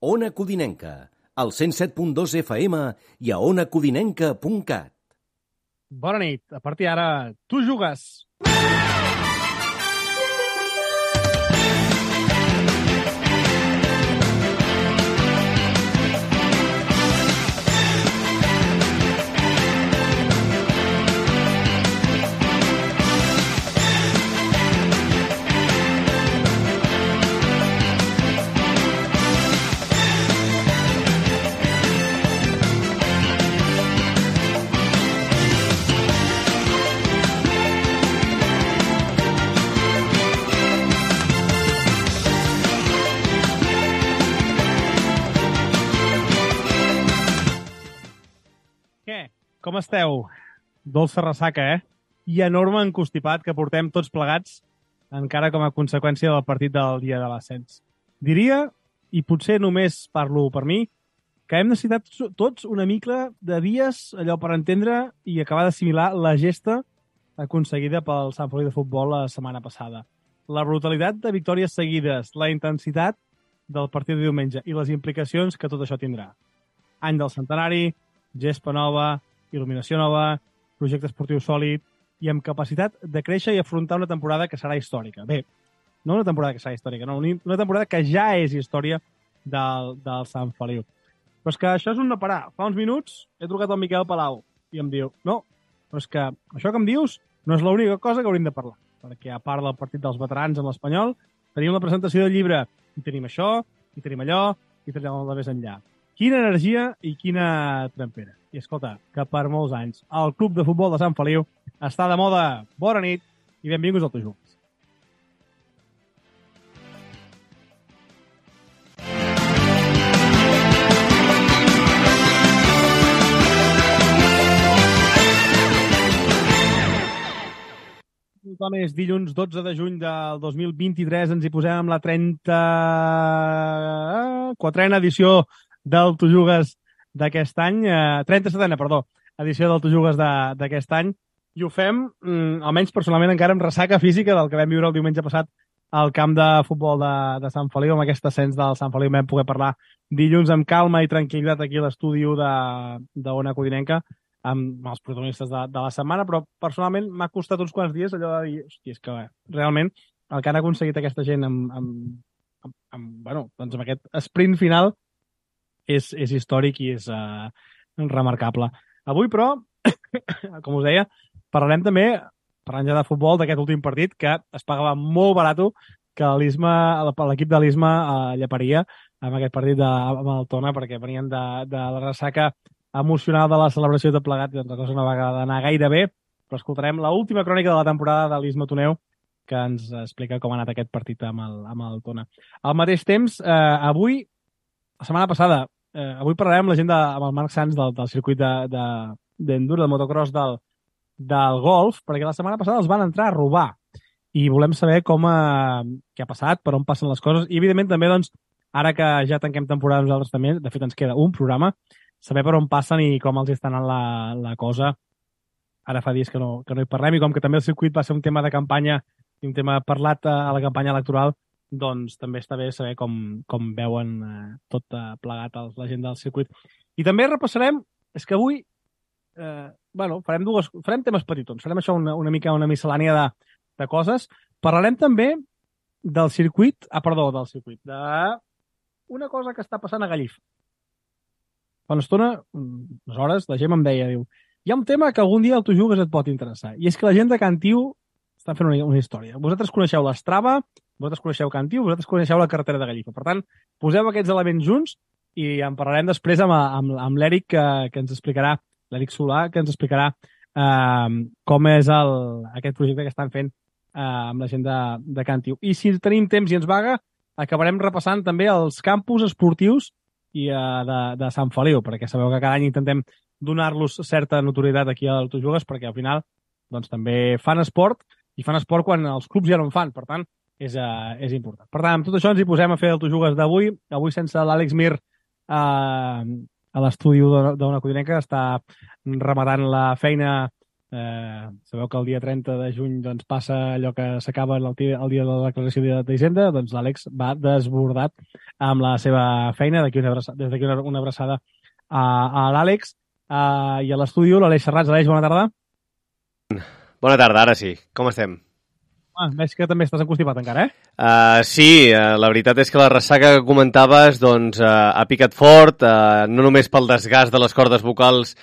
Ona Codinenca, al 107.2 FM i a onacodinenca.cat. Bona nit. A partir d'ara, tu jugues. Com esteu? Dolça ressaca, I enorme encostipat que portem tots plegats encara com a conseqüència del partit del dia de l'ascens. Diria, i potser només parlo per mi, que hem necessitat tots una mica de dies allò per entendre i acabar d'assimilar la gesta aconseguida pel Sant Feliu de Futbol la setmana passada. La brutalitat de victòries seguides, la intensitat del partit de diumenge i les implicacions que tot això tindrà. Any del centenari, gespa nova, il·luminació nova, projecte esportiu sòlid i amb capacitat de créixer i afrontar una temporada que serà històrica. Bé, no una temporada que serà històrica, no, una temporada que ja és història del Sant Feliu. Però és que això és un no parar. Fa uns minuts he trucat al Miquel Palau i em diu, no, però és que això que em dius no és l'única cosa que hauríem de parlar, perquè a part del partit dels veterans en l'Espanyol, tenim la presentació del llibre, i tenim això, i tenim allò, i tenim el de més enllà. Quina energia i quina trempera. I escolta, que per molts anys el Club de Futbol de Sant Feliu està de moda. Bona nit i benvinguts al Tu Jugues. És dilluns 12 de juny del 2023. Ens hi posem amb la 34a edició del Tu Jugues d'aquest any, 37a, perdó, edició del Tu Jugues d'aquest any, i ho fem, almenys personalment, encara amb ressaca física del que vam viure el diumenge passat al camp de futbol de Sant Feliu, amb aquest ascens del Sant Feliu. Vam poder parlar dilluns amb calma i tranquil·litat aquí a l'estudi d'Ona Codinenca, amb els protagonistes de la setmana, però personalment m'ha costat uns quants dies allò de dir, hòstia, és que realment el que han aconseguit aquesta gent amb aquest sprint final és històric i és remarcable. Avui, però, com us deia, parlarem també, parlant ja de futbol, d'aquest últim partit que es pagava molt barat que l'equip de l'Isma lleparia amb aquest partit amb el Tona, perquè venien de la ressaca emocional de la celebració de plegat, i la cosa no va anar gaire bé, però escoltarem l'última crònica de la temporada de l'Isma Toneu, que ens explica com ha anat aquest partit amb el Tona. Al mateix temps, avui, la setmana passada, avui parlarem amb la gent amb el Marc Sans del circuit d'enduro, de motocross del golf, perquè la setmana passada els van entrar a robar i volem saber què ha passat, per on passen les coses, i evidentment també, doncs, ara que ja tanquem temporada nosaltres també, de fet ens queda un programa, saber per on passen i com els està anant la cosa. Ara fa dies que no hi parlem, i com que també el circuit va ser un tema de campanya i un tema parlat a la campanya electoral, doncs també està bé saber com veuen tot plegat la gent del circuit. I també repassarem, és que avui farem temes petitons, farem això una mica una miscel·lània de coses. Parlarem també del circuit, d'una cosa que està passant a Gallifa. Fa una estona, unes hores, la gent em deia, diu, hi ha un tema que algun dia el Tu Jugues et pot interessar, i és que la gent de Can Tiu estan fent una història. Vosaltres coneixeu l'Strava, vosaltres coneixeu Can Tiu, vosaltres coneixeu la carretera de Gallifa. Per tant, poseu aquests elements junts i en parlarem després amb l'Eric, que ens explicarà, l'Eric Solà, que ens explicarà com és aquest projecte que estan fent amb la gent de Can Tiu. I si tenim temps i ens vaga, acabarem repassant també els campus esportius de Sant Feliu, perquè sabeu que cada any intentem donar-los certa notorietat aquí al Tu Jugues, perquè al final doncs, també fan esport, i fan esport quan els clubs ja no en fan, per tant és important. Per tant, amb tot això ens hi posem a fer el Tu Jugues d'avui, avui sense l'Àlex Mir a l'estudi d'Ona Codinenca, està rematant la feina. Sabeu que el dia 30 de juny doncs, passa allò que s'acaba el dia de la declaració d'Hisenda, doncs l'Àlex va desbordat amb la seva feina. Des d'aquí una abraçada a l'Àlex i a l'estudi, l'Aleix Serrats. Aleix, bona tarda. Bona tarda, ara sí. Com estem? Veig que també estàs encostipat encara, Sí, la veritat és que la ressaca que comentaves doncs, ha picat fort, no només pel desgast de les cordes vocals,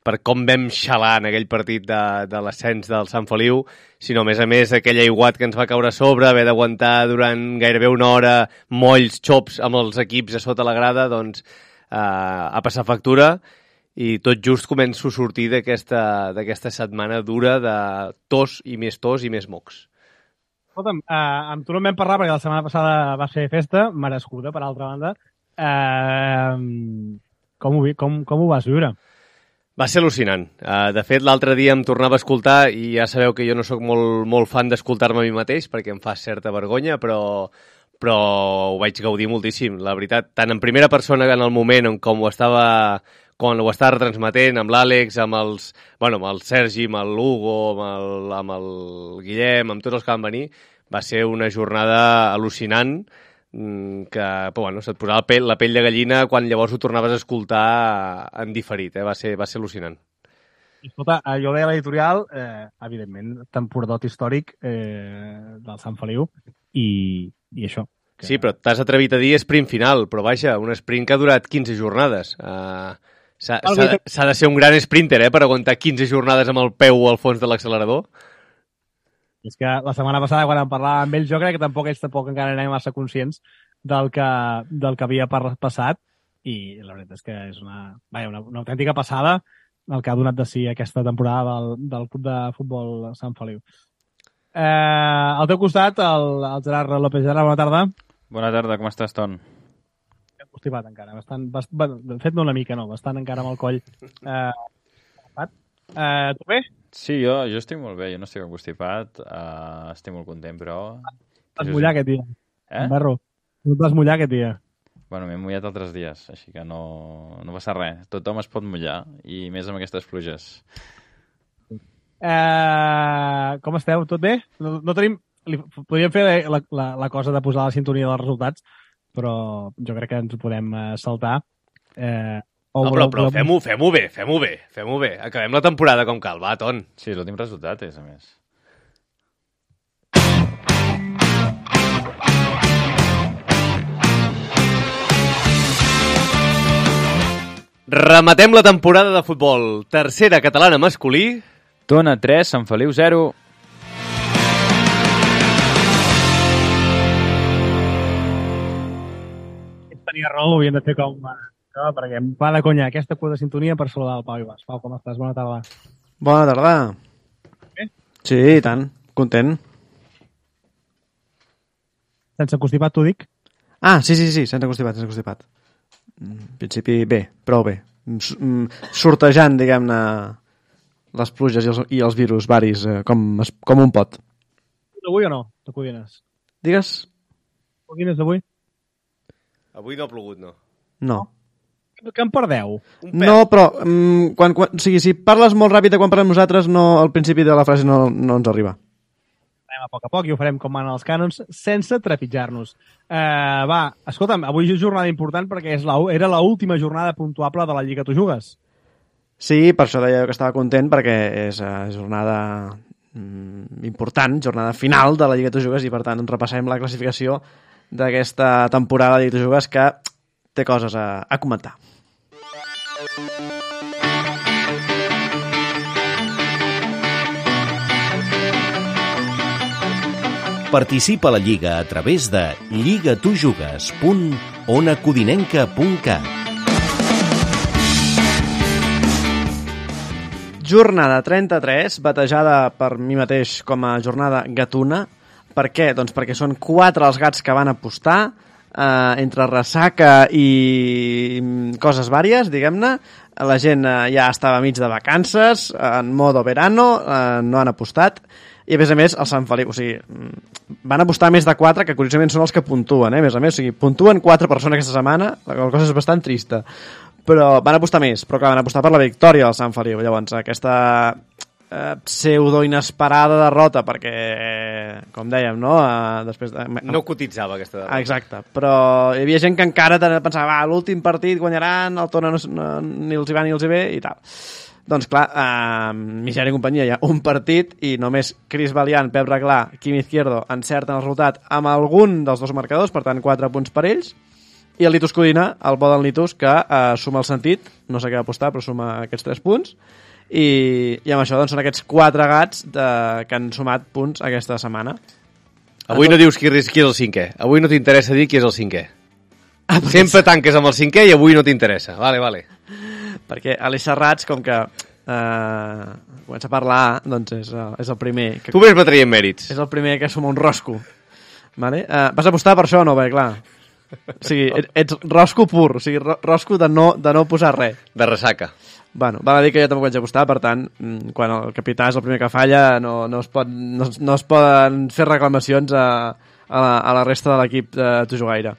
per com vam xalar en aquell partit de l'ascens del Sant Feliu, sinó, a més, aquell aiguat que ens va caure a sobre, haver d'aguantar durant gairebé una hora molls xops amb els equips a sota la grada, doncs ha passat factura i tot just començo a sortir d'aquesta setmana dura de tos i més mocs. Escolta'm, amb tu no en vam parlar perquè la setmana passada va ser festa, merescuda, per altra banda. Com ho vas viure? Va ser al·lucinant. De fet, l'altre dia em tornava a escoltar i ja sabeu que jo no sóc molt fan d'escoltar-me a mi mateix perquè em fa certa vergonya, però ho vaig gaudir moltíssim. La veritat, tant en primera persona que en el moment quan ho estava retransmetent amb l'Àlex, amb el Sergi, amb l'Hugo, amb el Guillem, amb tots els que van venir, va ser una jornada al·lucinant que se't posava la pell de gallina quan llavors ho tornaves a escoltar en diferit. Va ser al·lucinant. Escolta, jo deia l'editorial, evidentment, temporadot històric del Sant Feliu i això. Sí, però t'has atrevit a dir sprint final, però vaja, un sprint que ha durat 15 jornades. S'ha de ser un gran sprinter per aguantar 15 jornades amb el peu al fons de l'accelerador. És que la setmana passada, quan en parlàvem amb ells, jo crec que tampoc encara anaven massa conscients del que havia passat, i la veritat és que és una autèntica passada el que ha donat de si aquesta temporada del Club de Futbol Sant Feliu. Al teu costat, el Gerard López. Gerard, bona tarda. Bona tarda, com estàs, Ton? Constipat encara, de fet no una mica, no, bastant encara amb el coll. Tu bé? Sí, jo estic molt bé, jo no estic constipat, estic molt content, però... Vas mullar aquest dia. Berro, no et vas mullar aquest dia. Bueno, m'he mullat altres dies, així que no passa res. Tothom es pot mullar, i més amb aquestes pluges. Com esteu? Tot bé? No tenim... Podríem fer la cosa de posar la sintonia dels resultats, però jo crec que ens ho podem saltar. Però fem-ho bé. Acabem la temporada com cal, va, Ton. Sí, l'últim resultat és, a més. Rematem la temporada de futbol. Tercera catalana masculí. Tona 3, Sant Feliu 0. Tenia raó, ho havíem de fer com... perquè em va de conya aquesta cua de sintonia per saludar el Pau Ibas. Pau, com estàs? Bona tarda. Bona tarda. Bé? Sí, i tant. Content. Sense constipat, t'ho dic? Sí, sense constipat. En principi, bé, prou bé. Sortejant, diguem-ne, les pluges i els virus varis com un pot. D'avui o no, de Codines? Digues? Codines d'avui? Avui no ha plogut, no. No. Que en perdeu? No, però o sigui, si parles molt ràpid quan parlem nosaltres, al principi de la frase no ens arriba. Anem a poc i ho farem com van els cànons, sense trepitjar-nos. Escolta'm, avui és jornada important perquè era l'última jornada puntuable de la Lliga Tu Jugues. Sí, per això deia que estava content, perquè és jornada important, jornada final de la Lliga Tu Jugues, i per tant repassem la classificació d'aquesta temporada de Lliga Tu Jugues, que té coses a comentar. Participa a la Lliga a través de lligatujugues.onacodinenca.cat. Jornada 33, batejada per mi mateix com a jornada gatuna. Per què? Doncs perquè són 4 els gats que van apostar, entre ressaca i coses vàries, diguem-ne. La gent ja estava mig de vacances, en modo verano, no han apostat. I a més, el Sant Feliu, o sigui, van apostar més de 4, que curiosament són els que puntuen, a més, o sigui, puntuen 4 persones aquesta setmana, la cosa és bastant trista. Però van apostar més, però clar, van apostar per la victòria del Sant Feliu. Llavors, aquesta pseudo inesperada derrota, perquè, com dèiem, no? Després No cotitzava aquesta derrota. Exacte, però hi havia gent que encara pensava, l'últim partit guanyaran, el Tona ni els hi va ni els hi ve, i tal. Doncs clar, Misèria i companyia hi ha un partit i només Chris Valiant, Pep Reglà, Quim Izquierdo encerten el resultat amb algun dels dos marcadors, per tant 4 punts per ells, i el Litus Codina, el bo del Litus, que suma el sentit, no sé què va apostar, però suma aquests 3 punts, i amb això doncs, són aquests 4 gats que han sumat punts aquesta setmana. Avui no dius qui és el 5è, avui no t'interessa dir qui és el 5è. Sempre tanques amb el 5è i avui no t'interessa. Vale. Perquè a les xerrats, com que comença a parlar, doncs és el primer que... Tu ves traient mèrits. És el primer que suma un rosco. Vale? Vas apostar per això o no? Bé, clar. O sigui, ets rosco pur, o sigui, rosco de no posar res. De ressaca. Bueno, val a dir que jo tampoc vaig apostar, per tant, quan el capità és el primer que falla, no es poden fer reclamacions a la resta de l'equip de Tujugaire.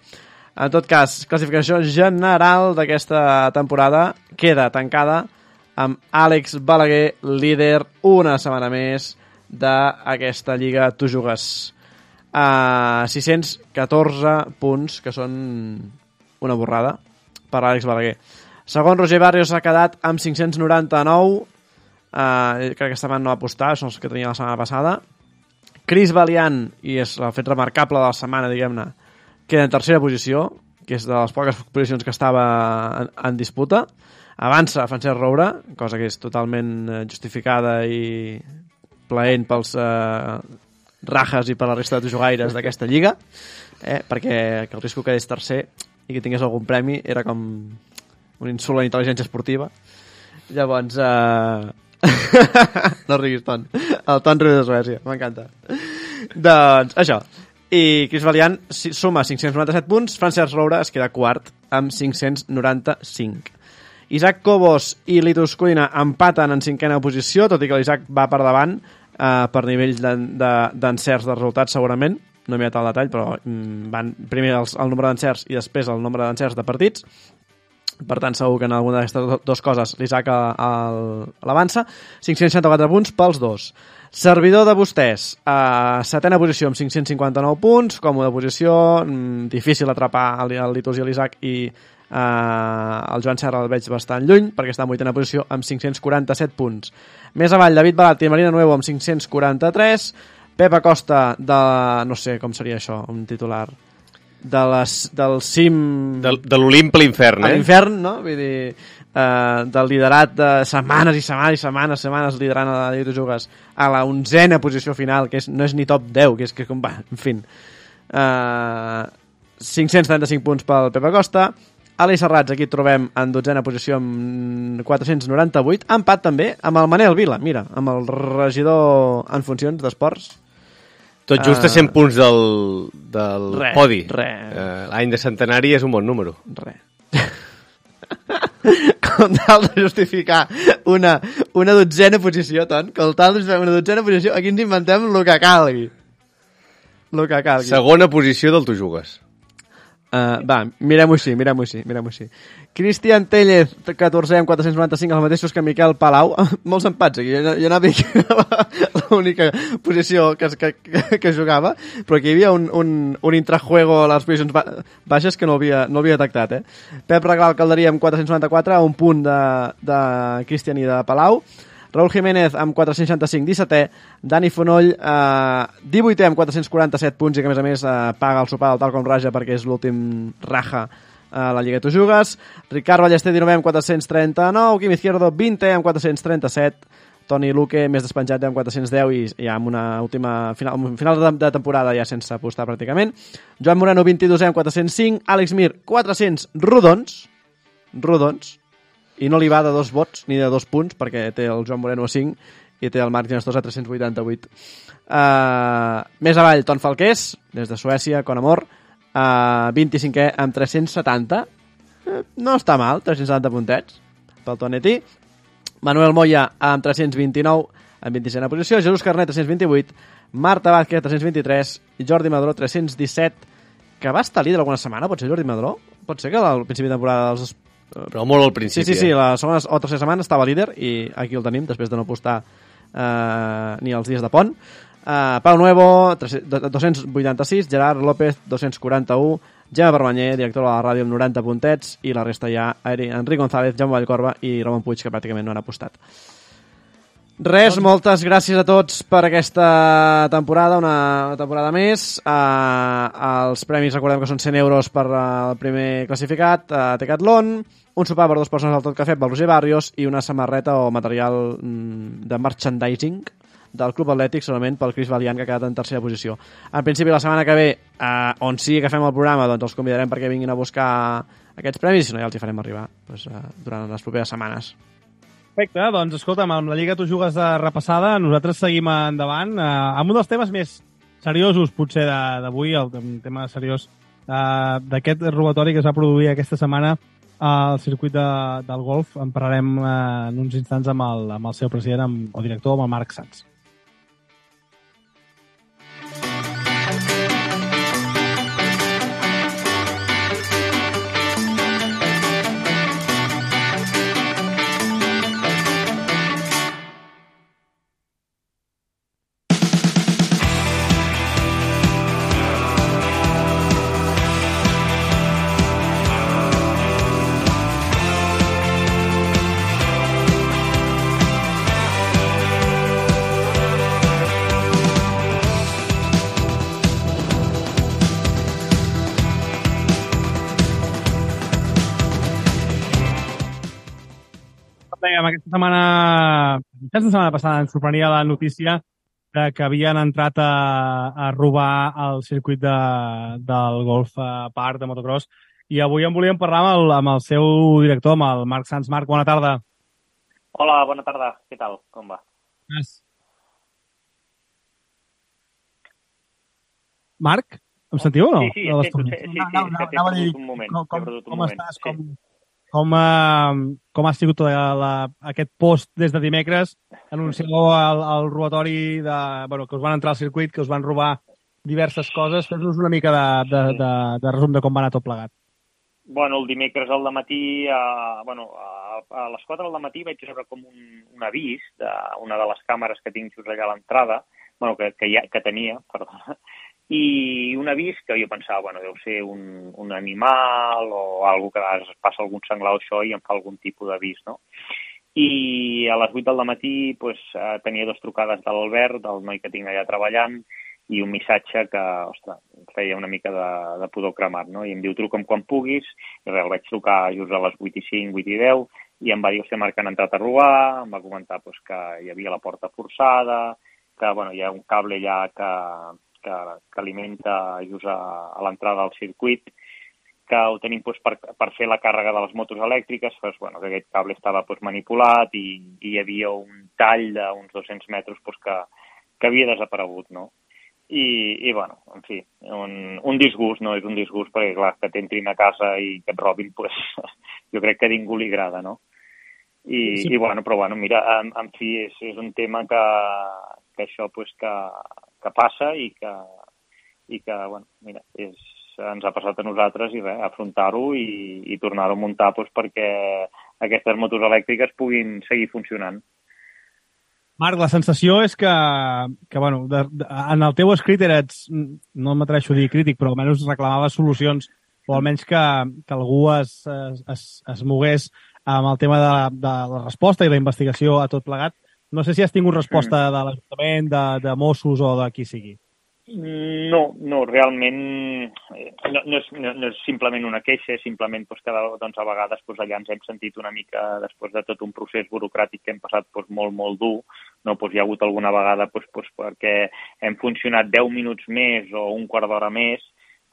En tot cas, classificació general d'aquesta temporada queda tancada amb Àlex Balaguer, líder una setmana més d'aquesta Lliga Tu Jugues. 614 punts, que són una borrada per Àlex Balaguer. Segon, Roger Barrios s'ha quedat amb 599. Crec que aquesta setmana no va apostar, són els que tenia la setmana passada. Chris Valiant, i és el fet remarcable de la setmana, diguem-ne, queda en tercera posició, que és de les poques posicions que estava en disputa. Avança Francesc Roure, cosa que és totalment justificada i plaent pels rajas i per la resta de jugaires d'aquesta lliga, perquè que el risc que quedés tercer i que tingués algun premi era com un insult a la intel·ligència esportiva. Llavors, no riguis, Ton. El Ton riu de Suècia, m'encanta. Doncs això. I Chris Valiant suma 597 punts, Francesc Roure es queda quart amb 595. Isaac Cobos i Litus Codina empaten en 5a posició, tot i que l'Isaac va per davant per nivells d'encerts de resultats segurament, no m'he mirat el detall, però van primer el nombre d'encerts i després el nombre d'encerts de partits. Per tant, segur que en alguna d'aquestes dues coses l'Isaac l'avança. 564 punts pels dos. Servidor de vostès, setena posició amb 559 punts, còmoda posició, difícil atrapar el Litus i l'Isaac, i el Joan Serra el veig bastant lluny, perquè està en vuitena posició amb 547 punts. Més avall, David Balat i Marina Nuevo amb 543, Pep Acosta no sé com seria això, un titular del cim... De l'Olimp a l'infern, a l'infern, no? Vull dir, del liderat de setmanes i setmanes liderant a la Lliga de Jugues a la 11a posició final, que no és ni top 10, que és com va, en fi. 535 punts pel Pep Acosta. Aleix Serrats, aquí et trobem en 12a posició amb 498, empat també amb el Manel Vila, mira, amb el regidor en funcions d'esports. Tot just a 100 punts del podi. L'any de centenari és un bon número. Com tal de justificar una 12a posició, Ton, com tal de justificar una 12a posició, aquí ens inventem el que calgui. Segona posició del Tu Jugues. Va, mirem-ho així. Cristian Tellez, 14 amb 495, els mateixos que Miquel Palau. Molts empats aquí, jo anava l'única posició que jugava, però aquí hi havia un intrajuego a les posicions baixes que no havia detectat. Pep Regal Calderia amb 494, un punt de Cristian i de Palau. Raúl Jiménez amb 465, 17è, Dani Fonoll 18è amb 447 punts i que a més paga el sopar del tal com raja perquè és l'últim raja a la Lliga Tu Jugues. Ricard Ballester 19è amb 439, Quim Izquierdo 20è amb 437, Toni Luque més despenjat amb 410 i ja amb una última final de temporada ja sense apostar pràcticament. Joan Moreno 22è amb 405, Àlex Mir 400 rodons, i no li va de 2 vots ni de 2 punts perquè té el Joan Moreno a 5 i té el Marc Ginestosa a 388. Més avall, Ton Falqués des de Suècia, con amor, 25è amb 370, no està mal, 370 puntets pel Tonetí. Manuel Moya amb 329 en 26a posició, Jesús Carnet 328, Marta Vázquez 323 i Jordi Madró 317, que va estar líder alguna setmana, pot ser Jordi Madró? Pot ser que al principi de temporada però molt al principi. Sí, la segona o tercera setmana estava líder i aquí el tenim, després de no apostar ni els dies de pont. Pau Nuevo, 286, Gerard López, 241, Gemma Permanyer, director de la ràdio amb 90 puntets, i la resta ja, Enric González, Jaume Vallcorba i Ramon Puig, que pràcticament no han apostat. Res, moltes gràcies a tots per aquesta temporada, una temporada més. Els premis, recordem que són 100 euros per el primer classificat a Decathlon, un sopar per 2 persones al Tot Cafè pel Roger Barrios i una samarreta o material de merchandising del Club Atlètic, solament pel Cris Valiant, que ha quedat en tercera posició. En principi, la setmana que ve, on sigui que fem el programa, doncs els convidarem perquè vinguin a buscar aquests premis, i si no ja els hi farem arribar durant les properes setmanes. Perfecte, doncs escolta'm, amb la Lliga Tu Jugues de repassada, nosaltres seguim endavant amb un dels temes més seriosos, potser, d'avui, el tema seriós d'aquest robatori que es va produir aquesta setmana al circuit del golf. En parlarem en uns instants amb el seu president o director, amb el Marc Sans. Aquesta setmana passada ens sorprenia la notícia que havien entrat a robar el circuit del Golf Park de motocross, i avui en volíem parlar amb el seu director, amb el Marc Sans. Marc, bona tarda. Hola, bona tarda. Què tal? Com va? Marc, em sentiu o no? Sí, anava a dir un moment. Com estàs? Com ha sigut aquest post des de dimecres? Anuncieu el robatori que us van entrar al circuit, que us van robar diverses coses. Fes-nos una mica de resum de com va anar tot plegat. Bueno, el dimecres al dematí, a les 4 del matí vaig rebre com un avís d'una de les càmeres que tinc just allà a l'entrada, que tenia, perdona, i un avís que jo pensava, deu ser un animal o algo que es passa algun senglar o això i em fa algun tipus d'avís, no? I a les 8 del matí tenia 2 trucades de l'Albert, del noi que tinc allà treballant, i un missatge que, ostres, feia una mica de pudor cremat, no? I em diu, truca'm quan puguis, i res, el vaig trucar just a les 8:05, 8:10, i em va dir, Marc, que han entrat a robar, em va comentar que hi havia la porta forçada, que hi ha un cable allà que alimenta just a l'entrada del circuit, que ho tenim per fer la càrrega de les motos elèctriques, que aquest cable estava manipulat i hi havia un tall d'uns 200 metres que havia desaparegut, no? I en fi, un disgust, no? És un disgust perquè, clar, que t'entrin a casa i que et robin, jo crec que a ningú li agrada, no? Però mira, en fi, és un tema que això, que passa i que mira, ens ha passat a nosaltres i res, afrontar-ho i tornar-ho a muntar perquè aquestes motos elèctriques puguin seguir funcionant. Marc, la sensació és que en el teu escrit no m'atreveixo a dir crític, però almenys reclamaves solucions, o almenys que algú es mogués amb el tema de la resposta i la investigació a tot plegat. No sé si has tingut resposta de l'Ajuntament, de Mossos o de qui sigui. No, realment no és simplement una queixa, és simplement que a vegades allà ens hem sentit una mica, després de tot un procés burocràtic que hem passat molt, molt dur, no? Hi ha hagut alguna vegada perquè hem funcionat 10 minuts més o un quart d'hora més,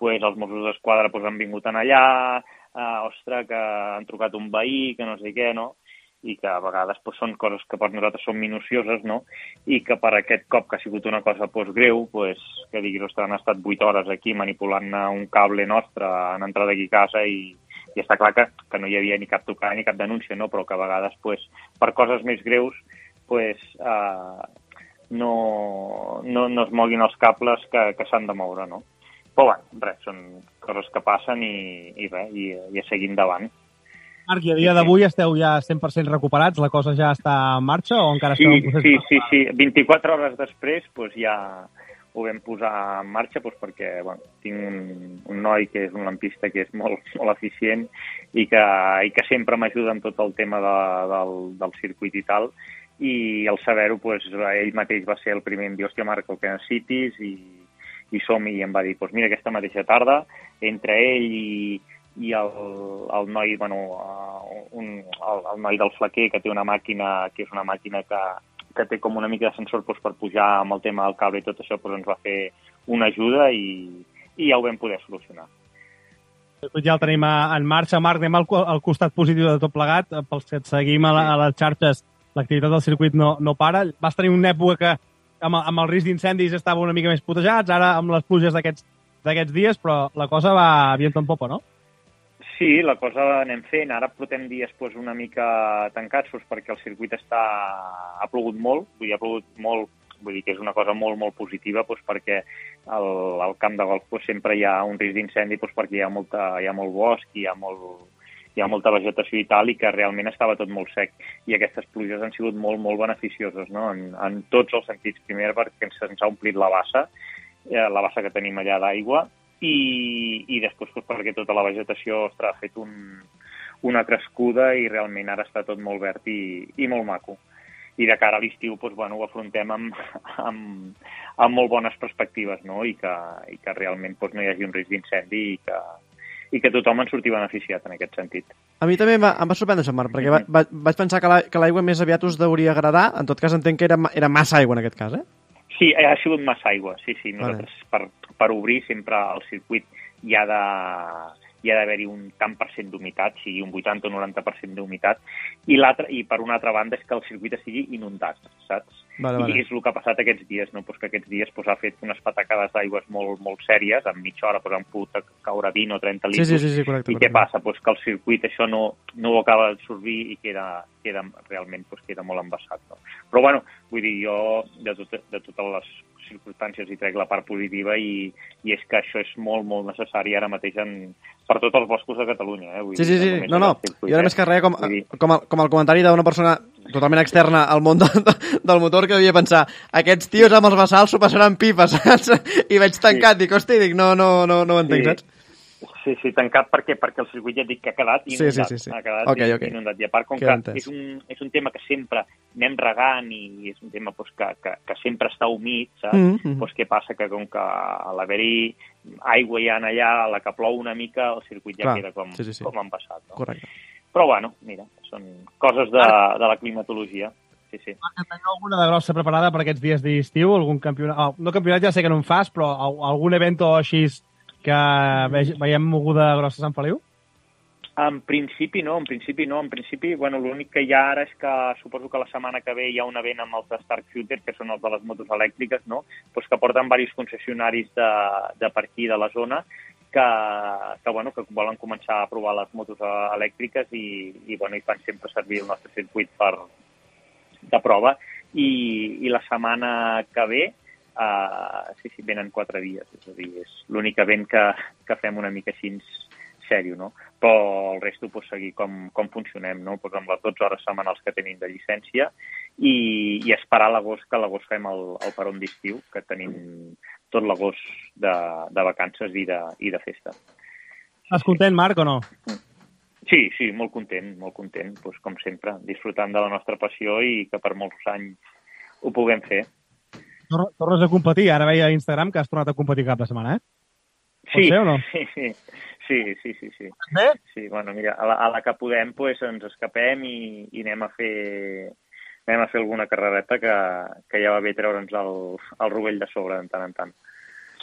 els Mossos d'Esquadra han vingut allà, que han trucat un veí, que no sé què, no? I que a vegades són coses que per nosaltres són minucioses, no? I que per aquest cop que ha sigut una cosa greu, que diguis, ostres, han estat 8 hores aquí manipulant un cable nostre, han entrat aquí a casa i està clar que no hi havia ni cap trucada ni cap denúncia, no? Però que a vegades, per coses més greus, no es moguin els cables que s'han de moure, no? Però res, són coses que passen i a seguir endavant. Marc, i a dia d'avui esteu ja 100% recuperats? La cosa ja està en marxa o encara esteu en procés? Sí. 24 hores després ja ho vam posar en marxa perquè tinc un noi que és un lampista que és molt, molt eficient i que sempre m'ajuda amb tot el tema del circuit i tal, i al saber-ho ell mateix va ser el primer en dir, hòstia Marc, el que necessitis, i som-hi, i em va dir, mira, aquesta mateixa tarda, entre ell i el noi, el noi del flequer, que té una màquina, que és una màquina que té com una mica de sensor per pujar amb el tema del cable i tot això, ens va fer una ajuda i ja ho vam poder solucionar. Ja el tenim en marxa. Marc, anem al costat positiu de tot plegat. Pels que et seguim a les xarxes, l'activitat del circuit no para. Vas tenir una època que amb el risc d'incendis estava una mica més putejats, ara amb les pluges d'aquests dies, però la cosa va viento en popa, no? Sí, la cosa anem fent. Ara portem dies una mica tancats perquè el circuit ha plogut molt, ha plogut molt, vull dir que és una cosa molt, molt positiva perquè al camp de golf sempre hi ha un risc d'incendi perquè hi ha molt bosc, hi ha molta vegetació i tal, i que realment estava tot molt sec. I aquestes pluges han sigut molt, molt beneficioses, no? En tots els sentits. Primer perquè ens ha omplit la bassa que tenim allà d'aigua, i després perquè tota la vegetació ha fet una crescuda i realment ara està tot molt verd i molt maco. I de cara a l'estiu ho afrontem amb molt bones perspectives, no? I que realment no hi hagi un risc d'incendi i que tothom en surti beneficiat en aquest sentit. A mi també em va sorprendre això, Marc, perquè vaig pensar que l'aigua més aviat us hauria agradar. En tot cas entenc que era massa aigua en aquest cas, eh? Sí, ha sigut massa aigua, sí. Nosaltres, per obrir sempre el circuit hi ha d'haver-hi un tant per cent d'humitat, sigui un 80 o 90% d'humitat, i per una altra banda és que el circuit estigui inundat, saps? Vale. I és el que ha passat aquests dies, no? Que aquests dies ha fet unes patacades d'aigües molt, molt sèries, en mitja hora han pogut caure 20 o 30 litres. Sí, correcte. I què passa? Que el circuit això no ho acaba d'absorbir i queda realment queda molt embassat. No? Però vull dir, jo de totes les circumstàncies hi trec la part positiva i és que això és molt, molt necessari ara mateix per tots els boscos de Catalunya. Vull dir, sí. No. I ara més que res, com el comentari d'una persona totalment externa al món del motor, que devia pensar, aquests tios amb els bassals s'ho passaran pipa, saps? I veig tancat, dic, no ho entenc, saps? Sí, tancat perquè el circuit ja et dic que ha quedat inundat. Sí. Ha quedat inundat. I a part, com que és un tema que sempre anem regant i és un tema que sempre està humit, saps? Què passa? Que com que a l'haver-hi aigua ja allà, a la que plou una mica, el circuit ja queda com embassat. No? Correcte. Però mira, són coses de la climatologia. Sí. Teniu alguna de grossa preparada per aquests dies d'estiu? Algun campionat? No, campionat ja sé que no en fas, però algun event o així que veiem moguda grossa a Sant Feliu? En principi no. En principi, l'únic que hi ha ara és que suposo que la setmana que ve hi ha un event amb els Stark Future, que són els de les motos elèctriques, no? Que porten diversos concessionaris de per aquí, de la zona, que volen començar a provar les motos elèctriques i fan sempre servir el nostre circuit de prova. I la setmana que ve venen 4 dies, és a dir, és l'únic event que fem una mica així sèrio, no? Però el resto seguir com funcionem, no? Amb les 12 hores setmanals que tenim de llicència i esperar l'agost, que a l'agost fem el peron d'estiu, que tenim tot l'agost de vacances i de festa. Estàs content, Marc, o no? Sí, molt content, com sempre, disfrutant de la nostra passió i que per molts anys ho puguem fer. Tornes a competir? Ara veia a Instagram que has tornat a competir cap de setmana, eh? Sí, ser, o no? Sí. Bé? Sí, mira, a la que podem ens escapem i anem a fer alguna carrereta que ja va bé treure'ns el rovell de sobre de tant en tant.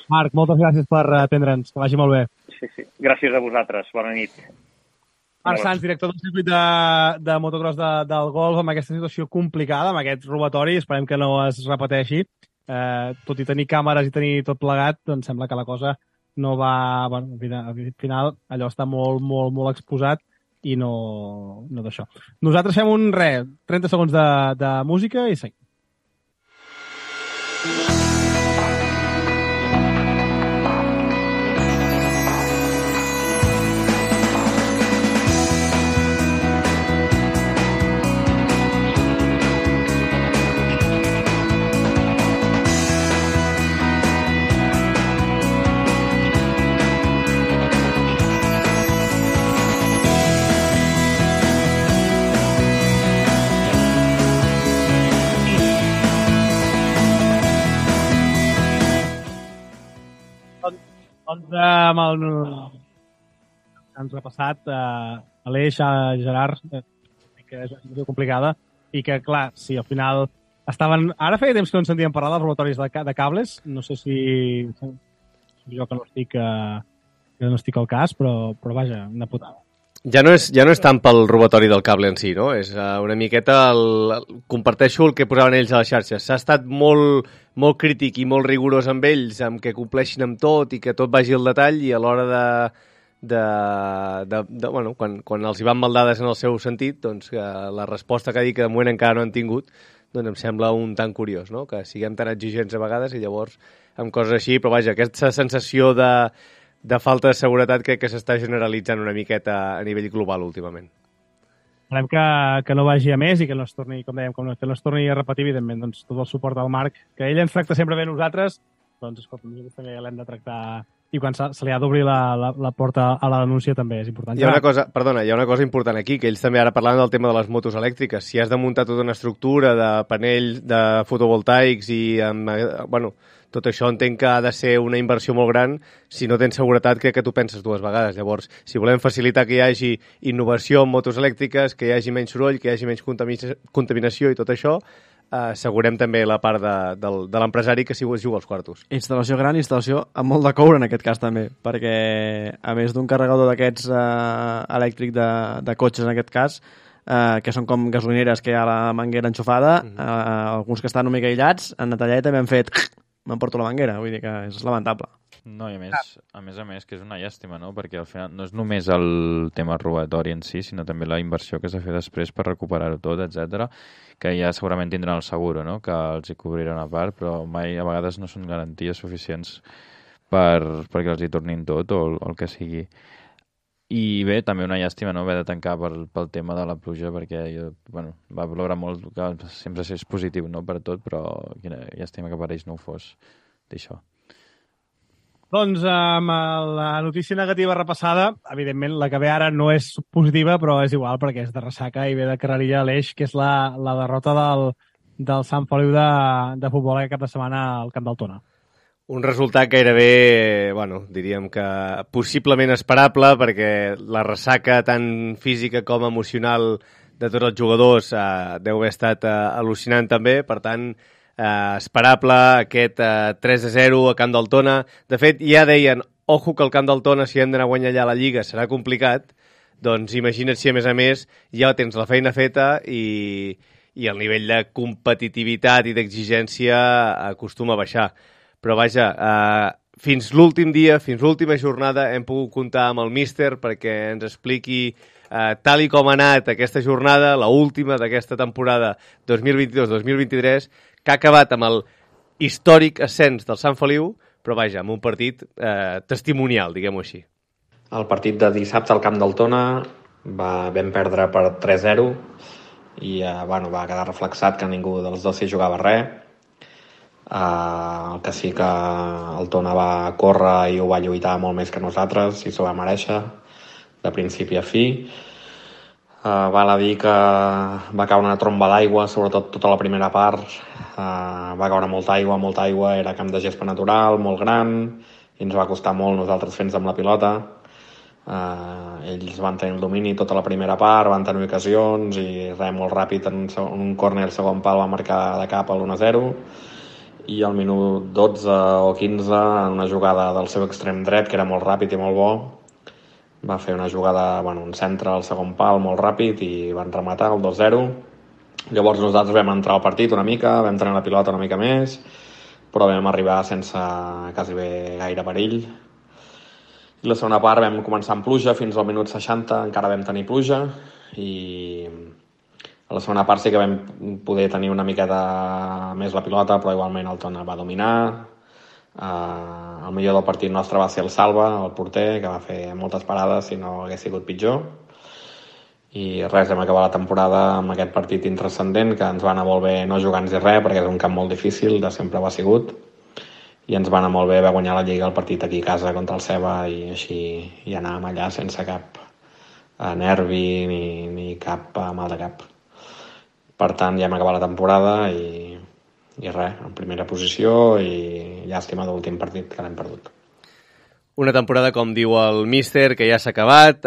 Marc, moltes gràcies per atendre'ns, que vagi molt bé. Sí. Gràcies a vosaltres, bona nit. Marc Sans, director del circuit de motocross del golf, amb aquesta situació complicada, amb aquest robatori, esperem que no es repeteixi. Tot i tenir càmeres i tenir tot plegat, doncs sembla que la cosa no va... al final allò està molt, molt, molt exposat i no d'això. Nosaltres fem 30 segons de música i seguim. comentàvem ens repassat Aleix, Gerard, que és una situació complicada i que, clar, si al final estaven... Ara feia temps que no en sentíem parlar dels robatoris de cables. No sé si jo que no estic al cas, però vaja, una putada. Ja no és tant pel robatori del cable en si, no? És una miqueta comparteixo el que posaven ells a les xarxes. S'ha estat molt, molt crític i molt rigorós amb ells, amb que compleixin amb tot i que tot vagi al detall, i a l'hora bueno, quan els hi van mal dades en el seu sentit, doncs que la resposta que ha dit que de moment encara no han tingut, doncs em sembla un tant curiós, no? Que siguem tan exigents a vegades i llavors amb coses així, però vaja, aquesta sensació de falta de seguretat crec que s'està generalitzant una miqueta a nivell global últimament. Esperem que no vagi a més i que no es torni, com dèiem, que no es torni a repetir, evidentment, doncs, tot el suport al Marc, que ell ens tracta sempre bé a nosaltres, doncs, escolta, nosaltres també l'hem de tractar, i quan se li ha d'obrir la porta a la denúncia també és important. Hi ha una cosa important aquí, que ells també ara parlaven del tema de les motos elèctriques. Si has de muntar tota una estructura de panells de fotovoltaics i bueno, tot això entenc que ha de ser una inversió molt gran. Si no tens seguretat, crec que tu penses dues vegades. Llavors, si volem facilitar que hi hagi innovació en motos elèctriques, que hi hagi menys soroll, que hi hagi menys contaminació i tot això, assegurem també la part de l'empresari que si es juga als quartos. Instal·lació gran, instal·lació amb molt de coure en aquest cas també, perquè a més d'un carregador d'aquests elèctric de cotxes en aquest cas, que són com gasolineres que hi ha la manguera enxufada, alguns que estan una mica aïllats, en la talleta m'han fet m'emporto la manguera, vull dir que és lamentable. No, i a més, que és una llàstima, no? Perquè al final no és només el tema robatori en si, sinó també la inversió que s'ha de fer després per recuperar-ho tot, etc, que ja segurament tindran el seguro, no? Que els hi cobriran a part, però mai a vegades no són garanties suficients perquè els hi tornin tot o el que sigui. I bé, també una llàstima, no?, haver de tancar pel tema de la pluja, perquè va ploure molt, que sempre és positiu, no?, per tot, però quina llàstima que per ells no ho fos d'això. Doncs amb la notícia negativa repassada, evidentment la que ve ara no és positiva, però és igual perquè és de ressaca i ve de carrerilla a l'Eix, que és la derrota del Sant Feliu de futbol aquest cap de setmana al Camp del Tona. Un resultat gairebé, diríem que possiblement esperable, perquè la ressaca tant física com emocional de tots els jugadors deu haver estat al·lucinant també, per tant, esperable aquest 3-0 a Camp del Tona. De fet, ja deien, ojo que el Camp del Tona, si hem d'anar a guanyar allà la Lliga, serà complicat. Doncs imagina't si, a més, ja tens la feina feta i el nivell de competitivitat i d'exigència acostuma a baixar. Però vaja, fins l'últim dia, fins l'última jornada, hem pogut comptar amb el míster perquè ens expliqui tal i com ha anat aquesta jornada, la última d'aquesta temporada 2022-2023, que ha acabat amb el històric ascens del Sant Feliu, però vaja, amb un partit testimonial, diguem-ho així. El partit de dissabte al Camp del Tona vam perdre per 3-0 i va quedar reflexat que ningú dels dos s'hi jugava res. El que sí que el Tona va córrer i ho va lluitar molt més que nosaltres i s'ho va merèixer de principi a fi. Val a dir que va caure una tromba d'aigua, sobretot tota la primera part. Va caure molta aigua, era camp de gespa natural, molt gran, i ens va costar molt nosaltres fer-nos amb la pilota. Ells van tenir el domini tota la primera part, van tenir ocasions i molt ràpid en un córner al segon pal va marcar de cap al 1-0, i al minut 12 o 15 en una jugada del seu extrem dret, que era molt ràpid i molt bo, va fer una jugada, un centre al segon pal molt ràpid i van rematar el 2-0. Llavors nosaltres vam entrar al partit una mica, vam tenir la pilota una mica més, però vam arribar sense quasi bé gaire perill. I la segona part vam començar amb pluja, fins al minut 60 encara vam tenir pluja, i a la segona part sí que vam poder tenir una miqueta més la pilota, però igualment el Tona va dominar. El millor del partit nostre va ser el Salva, el porter, que va fer moltes parades si no hagués sigut pitjor. I res, vam acabar la temporada amb aquest partit intranscendent, que ens va anar molt bé no jugant-hi res, perquè és un camp molt difícil, de sempre ho ha sigut, i ens va anar molt bé, va guanyar la Lliga el partit aquí a casa contra el Ceba, i així hi anàvem allà sense cap nervi ni cap mal de cap. Per tant, ja hem acabat la temporada i res, en primera posició, i llàstima de l'últim partit que l'hem perdut. Una temporada, com diu el míster, que ja s'ha acabat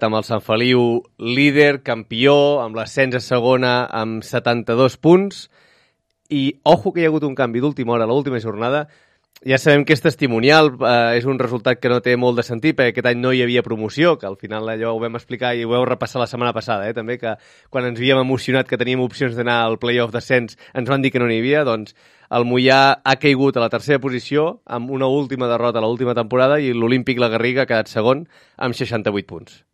amb el Sant Feliu líder, campió, amb l'ascens a segona amb 72 punts, i ojo que hi ha hagut un canvi d'última hora a l'última jornada. Ja sabem que és testimonial, és un resultat que no té molt de sentit, perquè aquest any no hi havia promoció, que al final allò ho vam explicar i ho vau repassar la setmana passada, també, que quan ens havíem emocionat que teníem opcions d'anar al play-off d'ascens, ens van dir que no n'hi havia, doncs el Moià ha caigut a la tercera posició amb una última derrota a l'última temporada i l'Olímpic La Garriga ha quedat segon amb 68 punts.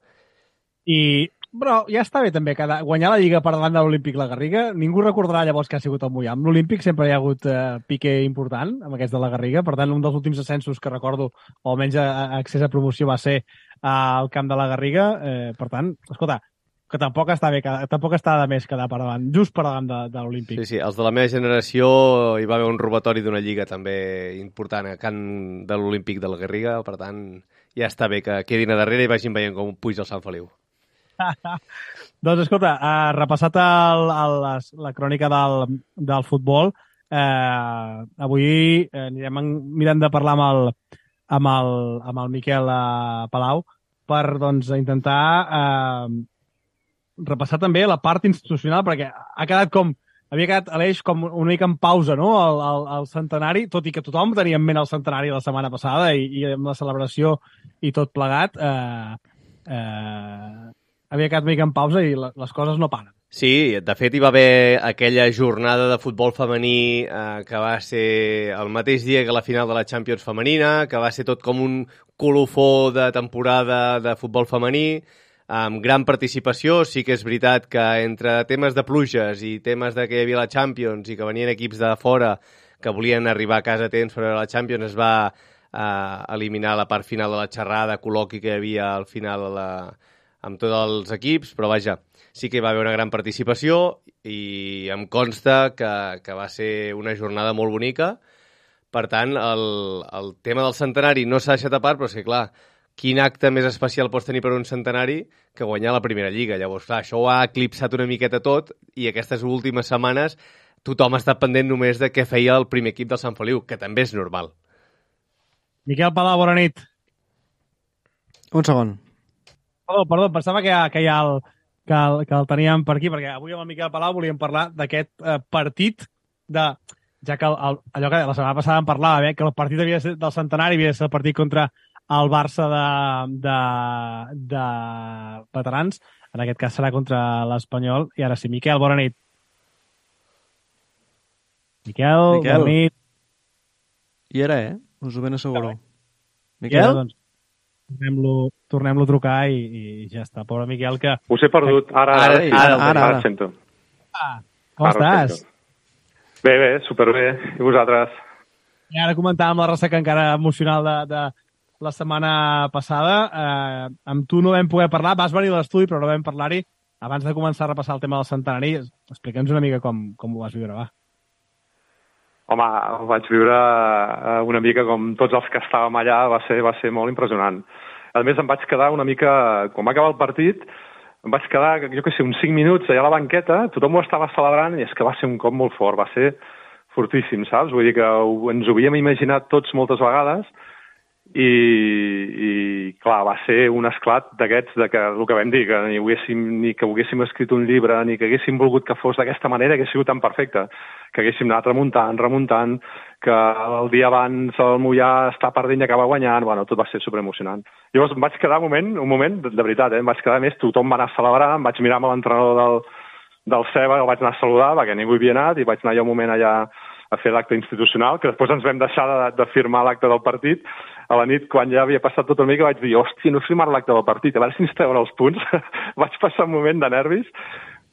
Però ja està bé també guanyar la Lliga per davant de l'Olímpic La Garriga. Ningú recordarà llavors que ha sigut el Moià. Amb l'Olímpic sempre hi ha hagut pique important amb aquests de La Garriga. Per tant, un dels últims ascensos que recordo, o almenys accés a promoció, va ser al camp de La Garriga. Per tant, escolta, que tampoc està de més quedar per davant, just per davant de l'Olímpic. Sí, els de la meva generació hi va haver un robatori d'una lliga també important a camp de l'Olímpic de La Garriga. Per tant, ja està bé que quedin a darrere i vagin veient com puja el Sant Feliu. Doncs escolta, repassat la crònica del futbol, avui anirem mirant de parlar amb el Miquel Palau per intentar repassar també la part institucional, perquè havia quedat Aleix com una mica en pausa, no?, el centenari, tot i que tothom tenia en ment el centenari la setmana passada i amb la celebració i tot plegat havia quedat una mica en pausa i les coses no paren. Sí, de fet hi va haver aquella jornada de futbol femení que va ser el mateix dia que la final de la Champions femenina, que va ser tot com un colofó de temporada de futbol femení, amb gran participació. Sí que és veritat que entre temes de pluges i temes de que hi havia la Champions i que venien equips de fora que volien arribar a casa a temps per veure la Champions, es va eliminar la part final de la xerrada, col·loqui que hi havia al final amb tots els equips, però vaja, sí que hi va haver una gran participació i em consta que va ser una jornada molt bonica. Per tant, el tema del centenari no s'ha deixat a part, però és que, clar, quin acte més especial pots tenir per un centenari que guanyar la primera lliga? Llavors, clar, això ho ha eclipsat una miqueta tot i aquestes últimes setmanes tothom ha estat pendent només de què feia el primer equip del Sant Feliu, que també és normal. Miquel Palau, bona nit. Un segon. Perdó, pensava que el teníem per aquí, perquè avui amb el Miquel Palau volíem parlar d'aquest partit ja que allò que la setmana passada em parlava, que el partit del centenari havia de ser el partit contra el Barça de veterans, en aquest cas serà contra l'Espanyol, i ara sí, Miquel, bona nit. Miquel. Bona nit. I era, us ho ben asseguro. Miquel? Doncs, tornem-lo a trucar i ja està. Pobre Miquel, que... Us he perdut. Ara sento. Com estàs? Bé, superbé. I vosaltres? I ara comentàvem la ressaca encara emocional de la setmana passada. Amb tu no vam poder parlar, vas venir a l'estudi però no vam parlar-hi. Abans de començar a repassar el tema del centenari, explica'ns una mica com ho vas viure, va. Home, ho vaig viure una mica com tots els que estàvem allà, va ser molt impressionant. A més, em vaig quedar una mica... Quan va acabar el partit, em vaig quedar, jo què sé, uns 5 minuts allà a la banqueta, tothom ho estava celebrant i és que va ser un cop molt fort, va ser fortíssim, saps? Vull dir que ens ho havíem imaginat tots moltes vegades i clar, va ser un esclat d'aquests, que el que vam dir, que ni que haguéssim escrit un llibre, ni que haguéssim volgut que fos d'aquesta manera, que hagués sigut tan perfecte, que haguéssim anat remuntant, que el dia abans el Moià està perdent i acaba guanyant, bueno, tot va ser superemocionant. Llavors em vaig quedar un moment, de veritat, em vaig quedar més, tothom va anar a celebrar, em vaig mirar amb l'entrenador del Ceba, el vaig anar a saludar, perquè ningú hi havia anat, i vaig anar jo un moment allà a fer l'acte institucional, que després ens vam deixar de firmar l'acte del partit. A la nit, quan ja havia passat tot una mica, vaig dir, hòstia, no he firmat l'acte del partit, a veure si ens treuen els punts. Vaig passar un moment de nervis,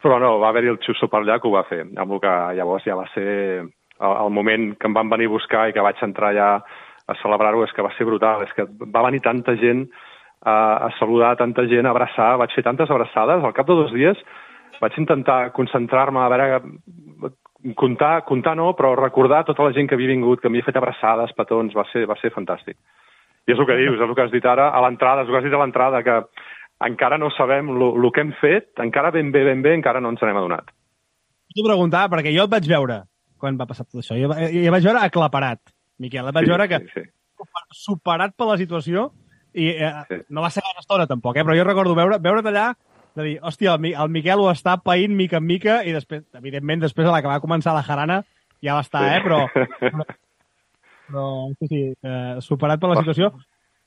però no, va haver-hi el xusso per allà que ho va fer, amb el que llavors ja va ser el moment que em van venir a buscar i que vaig entrar ja a celebrar-ho, és que va ser brutal, és que va venir tanta gent a saludar, tanta gent a abraçar, vaig fer tantes abraçades, al cap de 2 dies vaig intentar concentrar-me, a veure, comptar no, però recordar tota la gent que havia vingut, que m'havia fet abraçades, petons, va ser fantàstic. I és el que dius, és el que has dit ara, a l'entrada, és el que has dit a l'entrada, que encara no sabem el que hem fet, encara ben bé, encara no ens n'hem adonat. T'ho preguntava, perquè jo et vaig veure quan va passar tot això. Jo vaig veure aclaparat, Miquel. Et vaig veure que superat per la situació i no va ser gaire estona tampoc, però jo recordo veure't allà de dir, hòstia, el Miquel ho està païnt mica en mica i després, evidentment, després a la que va començar la jarana ja va estar, però sí, superat per la situació.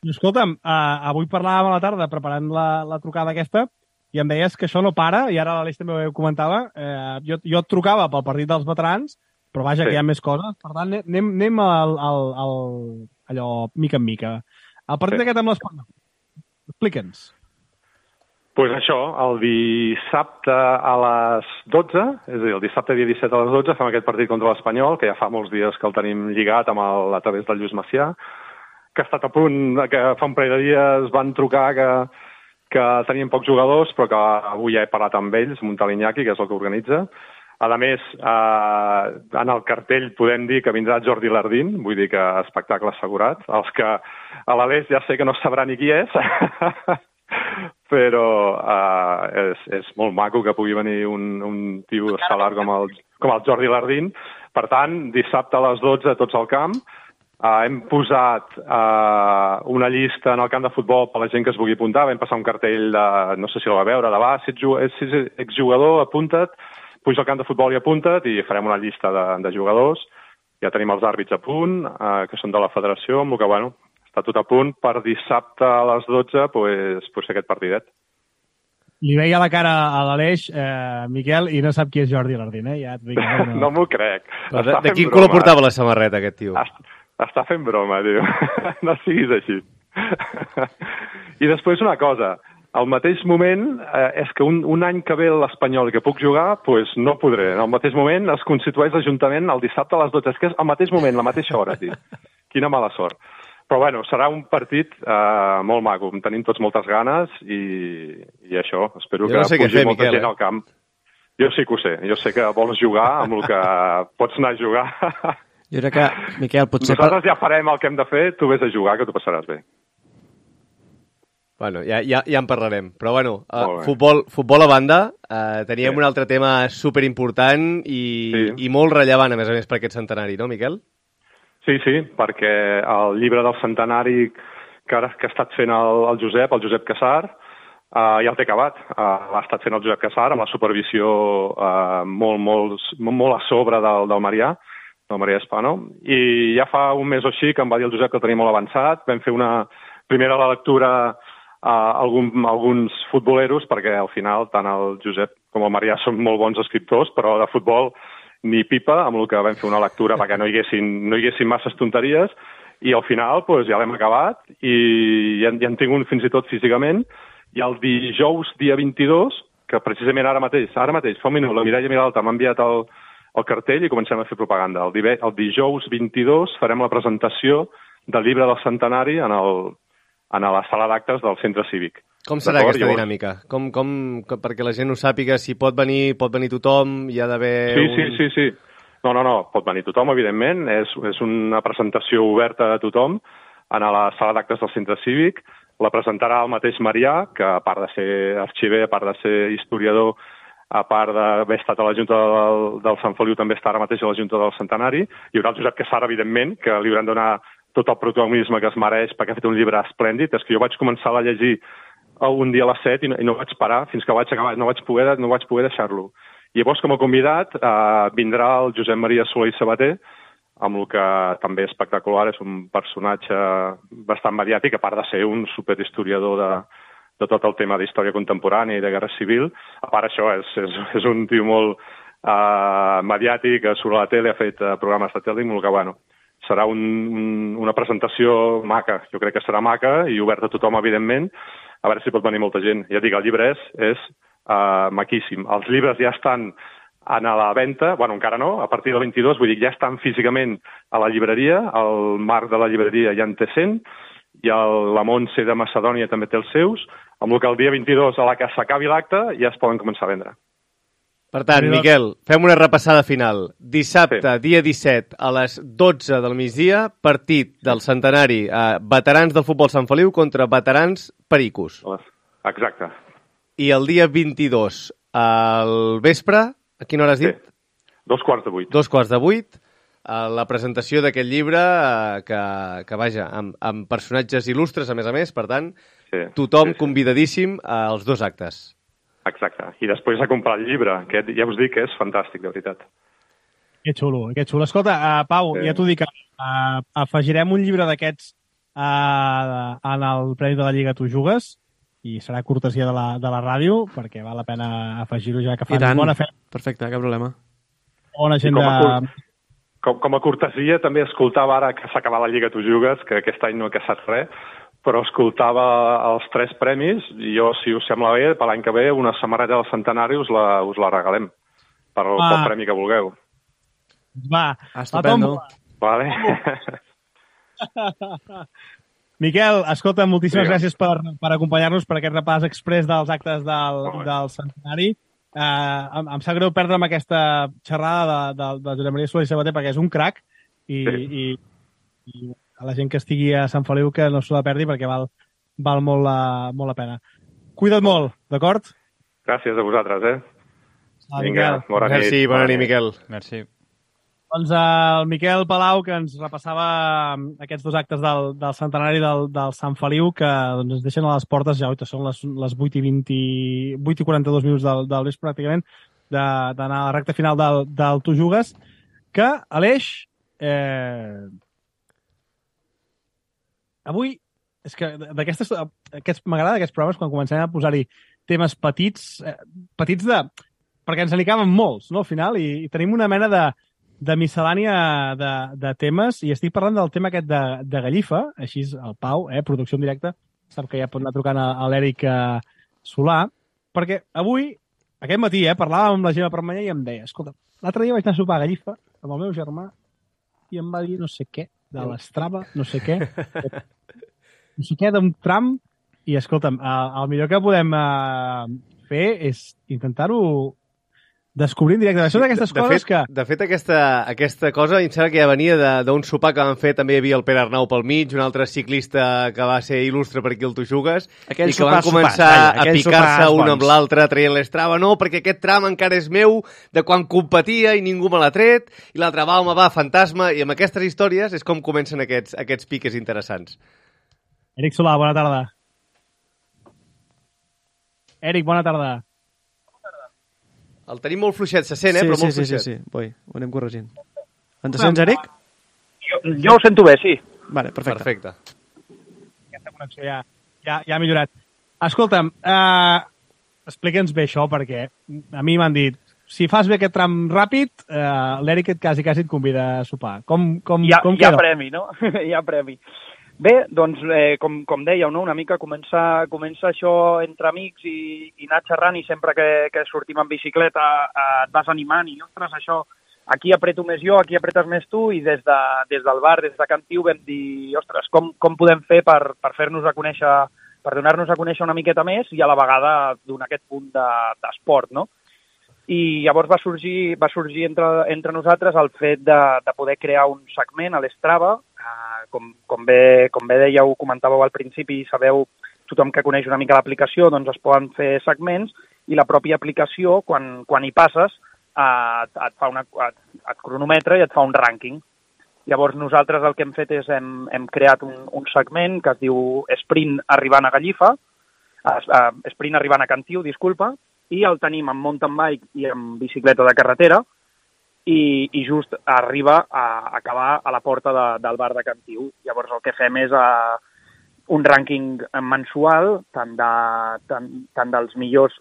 I escolta'm, avui parlàvem a la tarda preparant la trucada aquesta i em deies que això no para, i ara l'Aleix també ho comentava, jo et trucava pel partit dels veterans, però vaja, que hi ha més coses. Per tant, anem allò mica en mica. El partit aquest amb l'Espanyol. Explica'ns. Doncs això, el dissabte a les 12, és a dir, el dissabte dia 17 a les 12, fem aquest partit contra l'Espanyol, que ja fa molts dies que el tenim lligat a través del Lluís Macià, que ha estat a punt, que fa un parell de dies van trucar que tenien pocs jugadors, però que avui ja he parlat amb ells, amb un tal Iñaki, que és el que organitza. A més, en el cartell podem dir que vindrà Jordi Lardín, vull dir que espectacle assegurat. Els que a l'Aleix ja sé que no sabrà ni qui és, però és molt maco que pugui venir un tio estel·lar com el Jordi Lardín. Per tant, dissabte a les 12, tots al camp. Hem posat una llista en el camp de futbol per la gent que es vulgui apuntar. Vam passar un cartell de, no sé si el va veure, de si ets exjugador, apunta't, puja al camp de futbol i apunta't, i farem una llista de jugadors. Ja tenim els àrbits a punt, que són de la federació, amb el que, bueno, està tot a punt per dissabte a les 12, pues aquest partidet. Li veia la cara a l'Aleix, Miquel, i no sap qui és Jordi Lardín, ja et dic. No m'ho crec. De quin color portava la samarreta, aquest tio? Està fent broma, tio. No siguis així. I després una cosa, al mateix moment, és que un any que ve l'Espanyol i que puc jugar, doncs no podré. Al mateix moment es constitueix l'Ajuntament el dissabte a les 12. És que és al mateix moment, la mateixa hora, tio. Quina mala sort. Però bueno, serà un partit molt maco. En tenim tots moltes ganes i això, espero que pugi molta gent al camp. Jo sí que ho sé. Jo sé que vols jugar amb el que pots anar a jugar. Jo crec que, Miquel, potser... Nosaltres ja farem el que hem de fer, tu vés a jugar, que t'ho passaràs bé. Bueno, ja en parlarem. Però bueno, futbol a banda, teníem un altre tema superimportant i molt rellevant, a més per aquest centenari, no, Miquel? Sí, perquè el llibre del centenari que ha estat fent el Josep Cassar, ja el té acabat. L'ha estat fent el Josep Cassar amb la supervisió molt a sobre del Marià, del Maria Espano, i ja fa un mes o així que em va dir el Josep que el tenia molt avançat. Vam fer una primera lectura a alguns futboleros, perquè al final tant el Josep com el Marià són molt bons escriptors, però de futbol ni pipa, amb el que vam fer una lectura perquè no hi haguessin masses tonteries, i al final ja l'hem acabat i ja en tinc un fins i tot físicament, i el dijous dia 22, que precisament ara mateix, fa un minut, la Mireia Miralta m'ha enviat el cartell i comencem a fer propaganda. El dijous 22 farem la presentació del llibre del centenari a la sala d'actes del centre cívic. Com serà aquesta dinàmica? Perquè la gent ho sàpiga, si pot venir tothom, hi ha d'haver... Sí. No, pot venir tothom, evidentment. És una presentació oberta a tothom a la sala d'actes del centre cívic. La presentarà el mateix Marià, que a part de ser arxiver, a part de ser historiador, a part d'haver estat a la Junta del Sant Feliu, també està ara mateix a la Junta del Centenari. Hi haurà el Josep Cassar, evidentment, que li hauran de donar tot el protagonisme que es mereix perquè ha fet un llibre esplèndid. És que jo vaig començar a llegir un dia a les 7 i no vaig parar fins que vaig acabar, no vaig poder deixar-lo. I llavors, com a convidat, vindrà el Josep Maria Soler i Sabater, amb el que també és espectacular, és un personatge bastant mediàtic, a part de ser un superhistoriador de tot el tema d'història contemporània i de guerra civil. A part això, és un tio molt mediàtic, surt a la tele, ha fet programes de tele, molt que, bueno, serà una presentació maca. Jo crec que serà maca i oberta a tothom, evidentment, a veure si pot venir molta gent. Ja dic, el llibre és maquíssim. Els llibres ja estan a la venda, bueno, encara no, a partir del 22, vull dir, ja estan físicament a la llibreria, el Marc de la llibreria ja en té 100, i la Montse de Macedònia també té els seus, amb el que el dia 22, a la que s'acabi l'acte, ja es poden començar a vendre. Per tant, Miquel, fem una repassada final. Dissabte, dia 17, a les 12 del migdia, partit del centenari veterans del futbol Sant Feliu contra veterans pericos. Exacte. I el dia 22, al vespre, a quina hora has dit? 7:15. 7:15, la presentació d'aquest llibre que vaja, amb personatges il·lustres, a més, per tant, tothom convidadíssim als 2 actes. Exacte. I després a comprar el llibre, que ja us dic que és fantàstic, de veritat. Que xulo, que xulo. Escolta, Pau, ja t'ho dic, afegirem un llibre d'aquests en el Premi de la Lliga Tu Jugues i serà cortesia de la ràdio perquè val la pena afegir-ho ja que fan bona feina. Perfecte, cap problema. Bona gent com a cortesia també escoltava ara que s'acaba la Lliga Tu Jugues, que aquest any no he caçat res, però escoltava els 3 premis i jo, si us sembla bé, per l'any que ve una samarreta del centenari us la regalem pel premi que vulgueu. Va, estupendo. Vale. Miquel, escolta, moltíssimes gràcies per acompanyar-nos per aquest repàs express dels actes del centenari. Em sap greu perdre'm aquesta xerrada de Josep Maria Solé i Sabater perquè és un crac i a la gent que estigui a Sant Feliu que no se la perdi perquè val molt la pena. Cuida't molt, d'acord? Gràcies a vosaltres, Vinga, bona nit. Merci, bona nit, Miquel. Merci. Doncs el Miquel Palau, que ens repassava aquests 2 actes del centenari del Sant Feliu, que doncs, ens deixen a les portes, ja són les 8 i 42 minuts del vespre, pràcticament, d'anar a la recta final del Tu Jugues, que, Aleix, avui, és que m'agrada aquests programes quan comencem a posar-hi temes petits perquè ens n'hi molts, no?, al final, i tenim una mena de miscel·lània de temes, i estic parlant del tema aquest de Gallifa, així el Pau, producció en directe, sap que ja pot anar trucant a l'Eric Solà, perquè avui, aquest matí, parlàvem amb la Gemma Permanyer i em deia, escolta, l'altre dia vaig anar a sopar a Gallifa amb el meu germà i em va dir no sé què, de l'Strava, no sé què d'un tram, i escolta'm, el millor que podem fer és intentar-ho descobrir en directe. Són d'aquestes coses que... De fet, aquesta cosa, em sembla que ja venia d'un sopar que van fer, també hi havia el Pere Arnau pel mig, un altre ciclista que va ser il·lustre per aquí al Tu Jugues, i que van començar a picar-se un amb l'altre traient l'Strava. No, perquè aquest tram encara és meu, de quan competia i ningú me l'ha tret, i l'altre va, home, va, fantasma, i amb aquestes històries és com comencen aquests piques interessants. Eric Solà, bona tarda. Eric, bona tarda. El tenim molt fluixet, se sent, però molt fluixet. Sí, ho anem corregint. Ens sents, Eric? Jo ho sento bé, sí. Vale, perfecte. Aquesta connexió ja ha millorat. Escolta'm, explica'ns bé això, perquè a mi m'han dit, si fas bé aquest tram ràpid, l'Eric quasi et convida a sopar. Com queda? Hi ha premi, no? Hi ha premi. Bé, doncs, com dèieu, no? Una mica comença això entre amics i anar xerrant, i sempre que sortim en bicicleta et vas animant i, ostres, això, aquí apreto més jo, aquí apretes més tu, i des del bar, des de Can Tiu, vam dir, ostres, com podem fer per fer-nos a conèixer, per donar-nos a conèixer una miqueta més i a la vegada donar aquest punt d'esport, no? I llavors va sorgir entre nosaltres el fet de poder crear un segment a l'Strava. Com bé dèieu, comentàveu al principi, sabeu, tothom que coneix una mica l'aplicació, doncs es poden fer segments, i la pròpia aplicació, quan hi passes, et cronometra i et fa un rànquing. Llavors nosaltres el que hem fet és hem creat un segment que es diu Sprint arribant a Gallifa, Sprint arribant a Can Tiu, disculpa, i el tenim amb mountain bike i amb bicicleta de carretera, i just arriba a acabar a la porta del bar de Can Tiu. Llavors el que fem és un rànquing mensual, tant dels millors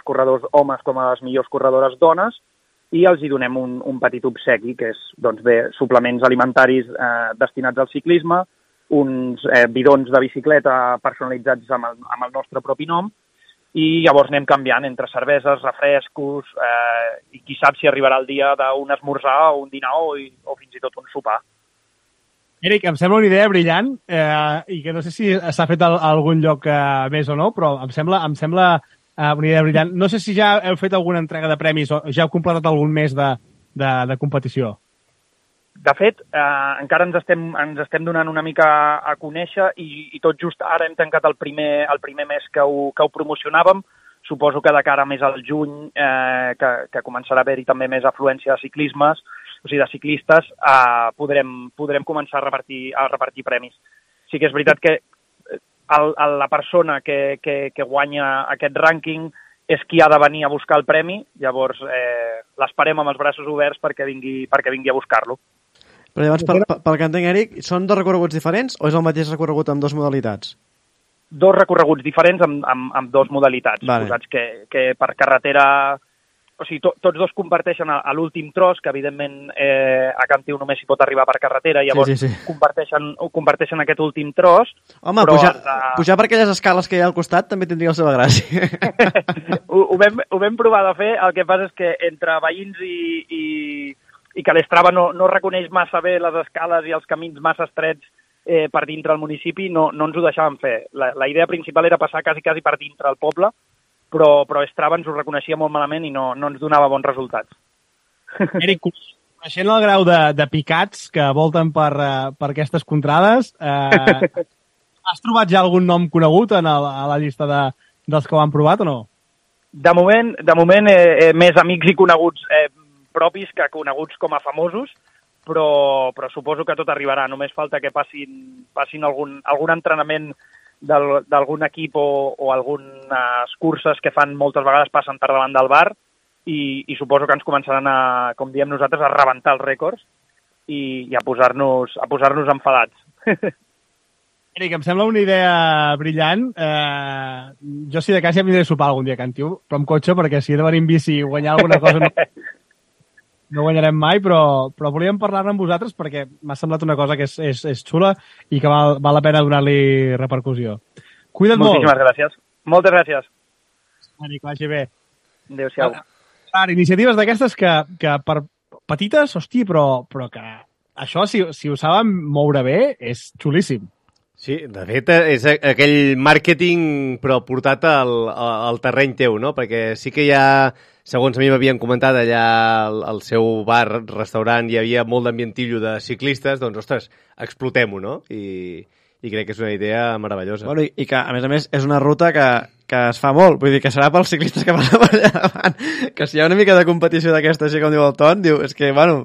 corredors homes com a les millors corredores dones, i els hi donem un petit obsequi, que és, doncs bé, suplements alimentaris destinats al ciclisme, uns bidons de bicicleta personalitzats amb el nostre propi nom, i llavors anem canviant entre cerveses, refrescos, i qui sap si arribarà el dia d'un esmorzar o un dinar o fins i tot un sopar. Eric, em sembla una idea brillant, i que no sé si s'ha fet a algun lloc més o no, però em sembla una idea brillant. No sé si ja heu fet alguna entrega de premis o ja heu completat algun mes de competició. De fet, encara ens estem donant una mica a conèixer, i tot just ara hem tancat el primer mes que ho promocionàvem. Suposo que de cara més al juny, que començarà a haver-hi també més afluència de ciclismes, o sigui, de ciclistes, podrem començar a repartir premis. Sí que és veritat que la persona que guanya aquest rànquing és qui ha de venir a buscar el premi, llavors l'esperem amb els braços oberts perquè vingui a buscar-lo. Però llavors, pel que entenc, Eric, són dos recorreguts diferents o és el mateix recorregut amb dues modalitats? Dos recorreguts diferents amb dues modalitats. Vale. Posats que per carretera... O sigui, tots dos comparteixen a l'últim tros, que evidentment a Cantiu només s'hi pot arribar per carretera, i llavors sí. comparteixen aquest últim tros. Home, pujar per aquelles escales que hi ha al costat també tindria la seva gràcia. Ho vam provar de fer, el que passa és que entre veïns i que l'Strava no reconeix massa bé les escales i els camins massa estrets per dintre el municipi, no ens ho deixàvem fer. La idea principal era passar quasi per dintre el poble, però Strava ens ho reconeixia molt malament i no ens donava bons resultats. Eric, coneixent el grau de picats que volten per aquestes contrades, has trobat ja algun nom conegut a la llista dels que ho han provat o no? De moment més amics i coneguts propis que coneguts com a famosos, però suposo que tot arribarà. Només falta que passin algun entrenament d'algun equip o algunes curses que fan moltes vegades passen per davant del bar i suposo que ens començaran a, com diem nosaltres, a rebentar els rècords i a posar-nos enfadats. Eric, em sembla una idea brillant. Jo, si de cas, ja vindré a sopar algun dia a Cantiu, però amb cotxe, perquè si he de venir en bici i guanyar alguna cosa no guanyarem mai, però volíem parlar-ne amb vosaltres perquè m'ha semblat una cosa que és xula i que val la pena donar-li repercussió. Cuida't molt. Moltíssimes gràcies. Moltes gràcies. Eric, vagi bé. Adéu-siau. Iniciatives d'aquestes que per petites, hosti, però que això, si ho saben moure bé, és xulíssim. Sí, de fet, és aquell màrqueting però portat al terreny teu, no? Perquè sí que hi ha, segons a mi m'havien comentat allà al seu bar, restaurant, hi havia molt d'ambientillo de ciclistes, doncs, ostres, explotem-ho, no? I crec que és una idea meravellosa. Bueno, i que, a més, és una ruta que es fa molt. Vull dir, que serà pels ciclistes que van allà davant. Que si hi ha una mica de competició d'aquesta, així com diu el Ton, diu, és que, bueno,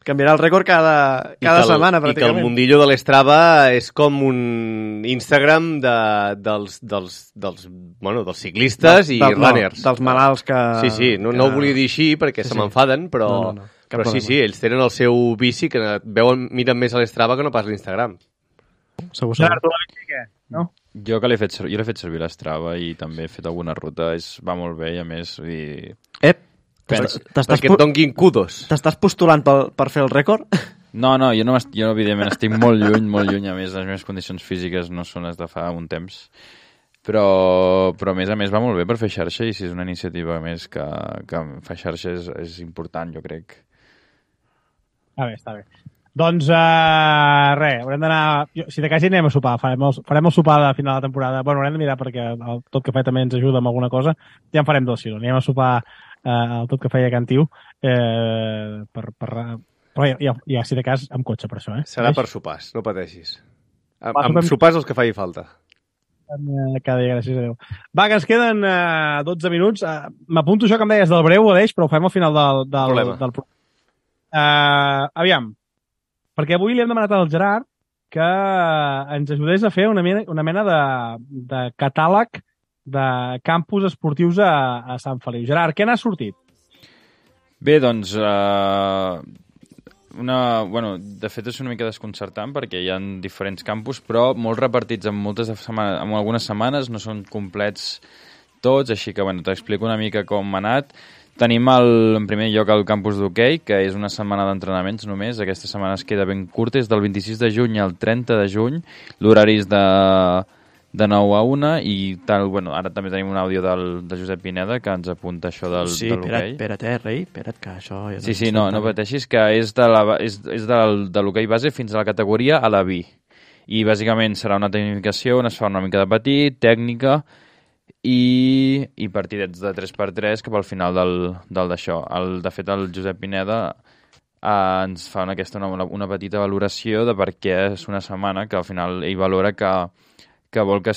canviarà el rècord cada setmana, pràcticament. I que el mundillo de l'Strava és com un Instagram dels ciclistes i runners. Dels malalts que... Sí, no ho volia dir així perquè se m'enfaden, però sí, ells tenen el seu bici que miren més a l'Strava que no pas l'Instagram. Segur. Gerard, tu la bici què? No? Jo l'he fet servir l'Strava i també he fet alguna ruta, va molt bé i a més... Perquè et donguin kudos. T'estàs postulant per fer el rècord? No, jo evidentment estic molt lluny, a més les meves condicions físiques no són les de fa un temps, però a més va molt bé per fer xarxa i si és una iniciativa més que fa xarxa és important, jo crec. Està bé. Doncs res, haurem d'anar... Si de cas hi anem a sopar, farem el sopar de final de temporada. Bueno, haurem de mirar perquè el Tot Cafè també ens ajuda amb alguna cosa. Ja en farem dos, si no. Anem a sopar el Tot Cafè a Cantiu però ja, si de cas, amb cotxe per això, Serà per sopars, no pateixis. Amb sopars els que faci falta. Cada dia, gràcies a Déu. Va, que ens queden 12 minuts. M'apunto això que em deies del breu, Aleix, però ho fem al final del programa. Aviam, perquè avui li hem demanat al Gerard que ens ajudés a fer una mena de catàleg de campus esportius a Sant Feliu. Gerard, què n'ha sortit? Bé, doncs, de fet és una mica desconcertant perquè hi ha diferents campus, però molt repartits en algunes setmanes, no són complets tots, així que t'explico una mica com ha anat. Tenim en primer lloc el campus d'hoquei, que és una setmana d'entrenaments només. Aquesta setmana es queda ben curta, és del 26 de juny al 30 de juny. L'horari és de 9 a 1 i tal. Ara també tenim un àudio de Josep Pineda que ens apunta això de l'hoquei. Espera't, rei, espera't, que això... Ja sí, no pateixis, que és de l'hoquei base fins a la categoria a la B. I bàsicament serà una tecnificació on es fa una mica de petit, tècnica, i partidets de 3x3 cap al final d'això. De fet, el Josep Pineda ens fa una petita valoració de per què és una setmana que al final ell valora que vol que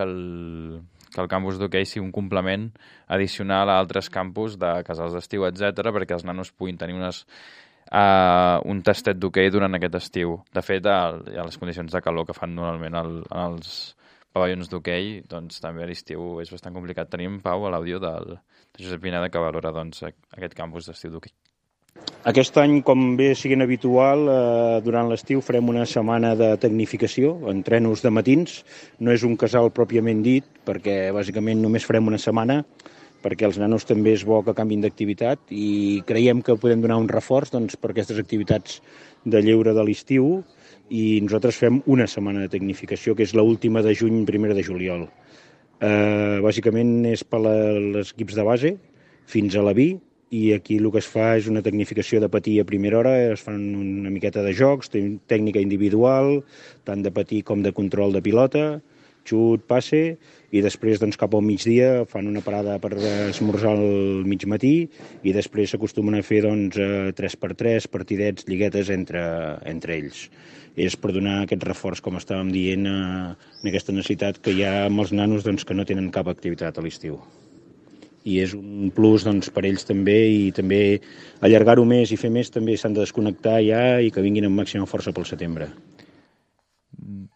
el campus d'hoquei sigui un complement addicional a altres campus de casals d'estiu, etc, perquè els nanos puguin tenir un tastet d'hoquei durant aquest estiu. De fet, a les condicions de calor que fan normalment els pavellons d'hoquei, doncs també a l'estiu és bastant complicat. Tenim, Pau, a l'àudio de Josep Pineda, que valora doncs, aquest campus d'estiu d'hoquei. Aquest any, com bé siguin habitual, durant l'estiu farem una setmana de tecnificació, entrenos de matins. No és un casal pròpiament dit, perquè bàsicament només farem una setmana, perquè els nanos també és bo que canvin d'activitat i creiem que podem donar un reforç doncs, per aquestes activitats de lleure de l'estiu i nosaltres fem una setmana de tecnificació, que és l'última de juny, primera de juliol. Bàsicament és per als equips de base fins a la B, i aquí el que es fa és una tecnificació de patí a primera hora, es fan una miqueta de jocs, tècnica individual, tant de patí com de control de pilota, xut, passe, i després doncs, cap al migdia fan una parada per esmorzar al mig matí i després s'acostumen a fer doncs, 3x3, partidets, lliguetes entre ells. És per donar aquest reforç, com estàvem dient, en aquesta necessitat que hi ha amb els nanos doncs, que no tenen cap activitat a l'estiu. I és un plus doncs, per ells també, i també allargar-ho més i fer més també s'han de desconnectar ja i que vinguin amb màxima força pel setembre.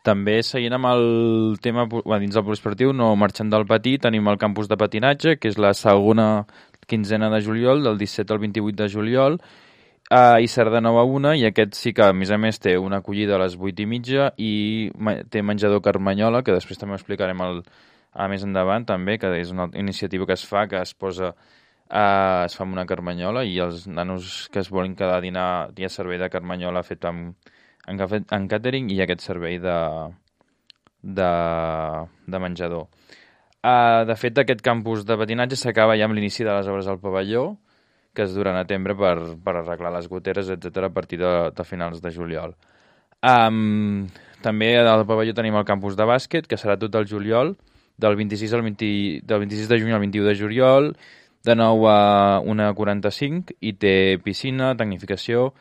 També seguint amb el tema dins del poliesportiu, no marxant del patí, tenim el campus de patinatge, que és la segona quinzena de juliol, del 17 al 28 de juliol, a Isard de 9 a 1, i aquest sí que a més té una acollida a les 8:30 i té menjador Carmanyola, que després també ho explicarem més endavant també, que és una iniciativa que es fa, que es posa es fa amb una carmanyola i els nanos que es volen quedar a dinar hi ha servei de carmanyola fet en càtering i aquest servei de menjador. De fet, aquest campus de patinatge s'acaba ja amb l'inici de les obres al pavelló, que es duran a tembre per arreglar les goteres, etc a partir de finals de juliol. També al pavelló tenim el campus de bàsquet, que serà tot el juliol, del 26 de juny al 21 de juliol, de 9 a 1:45, i té piscina, tecnificació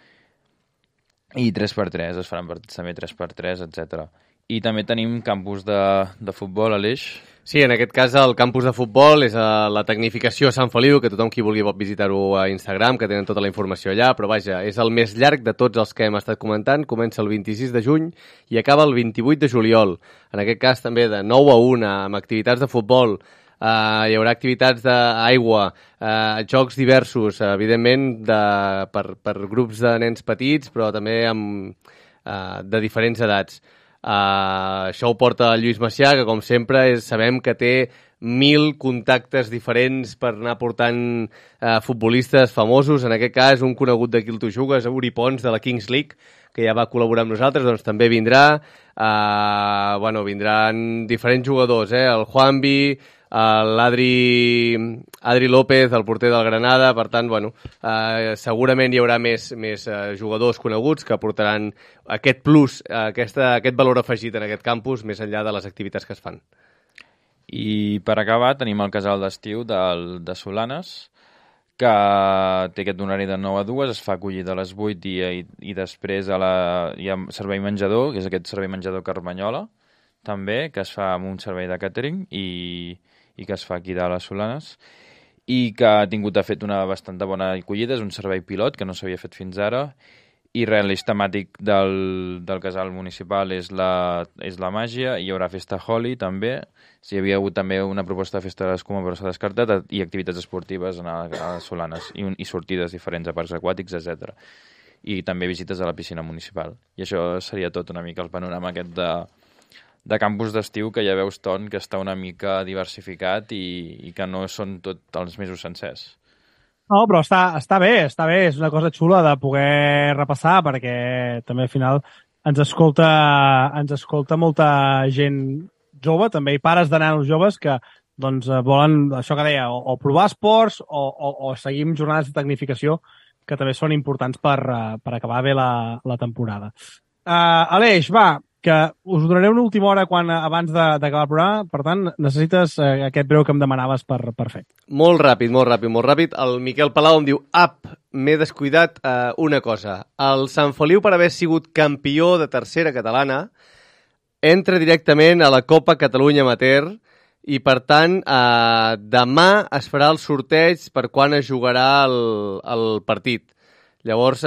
i 3x3, es faran partits també 3x3, etc. I també tenim campus de futbol, Aleix. Sí, en aquest cas el campus de futbol és la tecnificació a Sant Feliu, que tothom qui vulgui pot visitar-ho a Instagram, que tenen tota la informació allà, però vaja, és el més llarg de tots els que hem estat comentant, comença el 26 de juny i acaba el 28 de juliol. En aquest cas també de 9 a 1, amb activitats de futbol, hi haurà activitats d'aigua, jocs diversos, evidentment per grups de nens petits, però també de diferents edats. Això ho porta el Lluís Macià, que com sempre sabem que té 1000 contactes diferents per anar portant futbolistes famosos. En aquest cas, un conegut d'aquí el Tu Jugues, Uri Pons, de la Kings League, que ja va col·laborar amb nosaltres, doncs també vindrà. Vindran diferents jugadors, el Juanvi, l'Adri López, el porter del Granada. Per tant, segurament hi haurà més jugadors coneguts que aportaran aquest plus, aquest valor afegit en aquest campus, més enllà de les activitats que es fan. I per acabar tenim el casal d'estiu de Solanes, que té aquest horari de 9 a 2, es fa acollida a les 8 i després hi ha servei menjador, que és aquest servei menjador Carmanyola, també, que es fa amb un servei de càtering i que es fa aquí dalt a Solanes, i que ha fet una bastant bona acollida. És un servei pilot que no s'havia fet fins ara, i l'eix temàtic del casal municipal és la màgia. Hi haurà festa Holi també, hi havia hagut també una proposta de festa de l'escuma però s'ha descartat, i activitats esportives a Solanes i sortides diferents a parcs aquàtics, etc. I també visites a la piscina municipal. I això seria tot una mica el panorama aquest de campus d'estiu, que ja veus, Ton, que està una mica diversificat i que no són tots els mesos sencers. No, però està bé, és una cosa xula de poder repassar, perquè també al final ens escolta molta gent jove, també, i pares de nanos joves que doncs, volen, això que deia, o provar esports o seguir amb jornades de tecnificació, que també són importants per acabar bé la temporada. Aleix, va, que us donaré una última hora abans d'acabar el programa, per tant, necessites aquest breu que em demanaves per fer. Molt ràpid. El Miquel Palau em diu: m'he descuidat una cosa. El Sant Feliu, per haver sigut campió de tercera catalana, entra directament a la Copa Catalunya Amateur i, per tant, demà es farà el sorteig per quan es jugarà el partit. Llavors,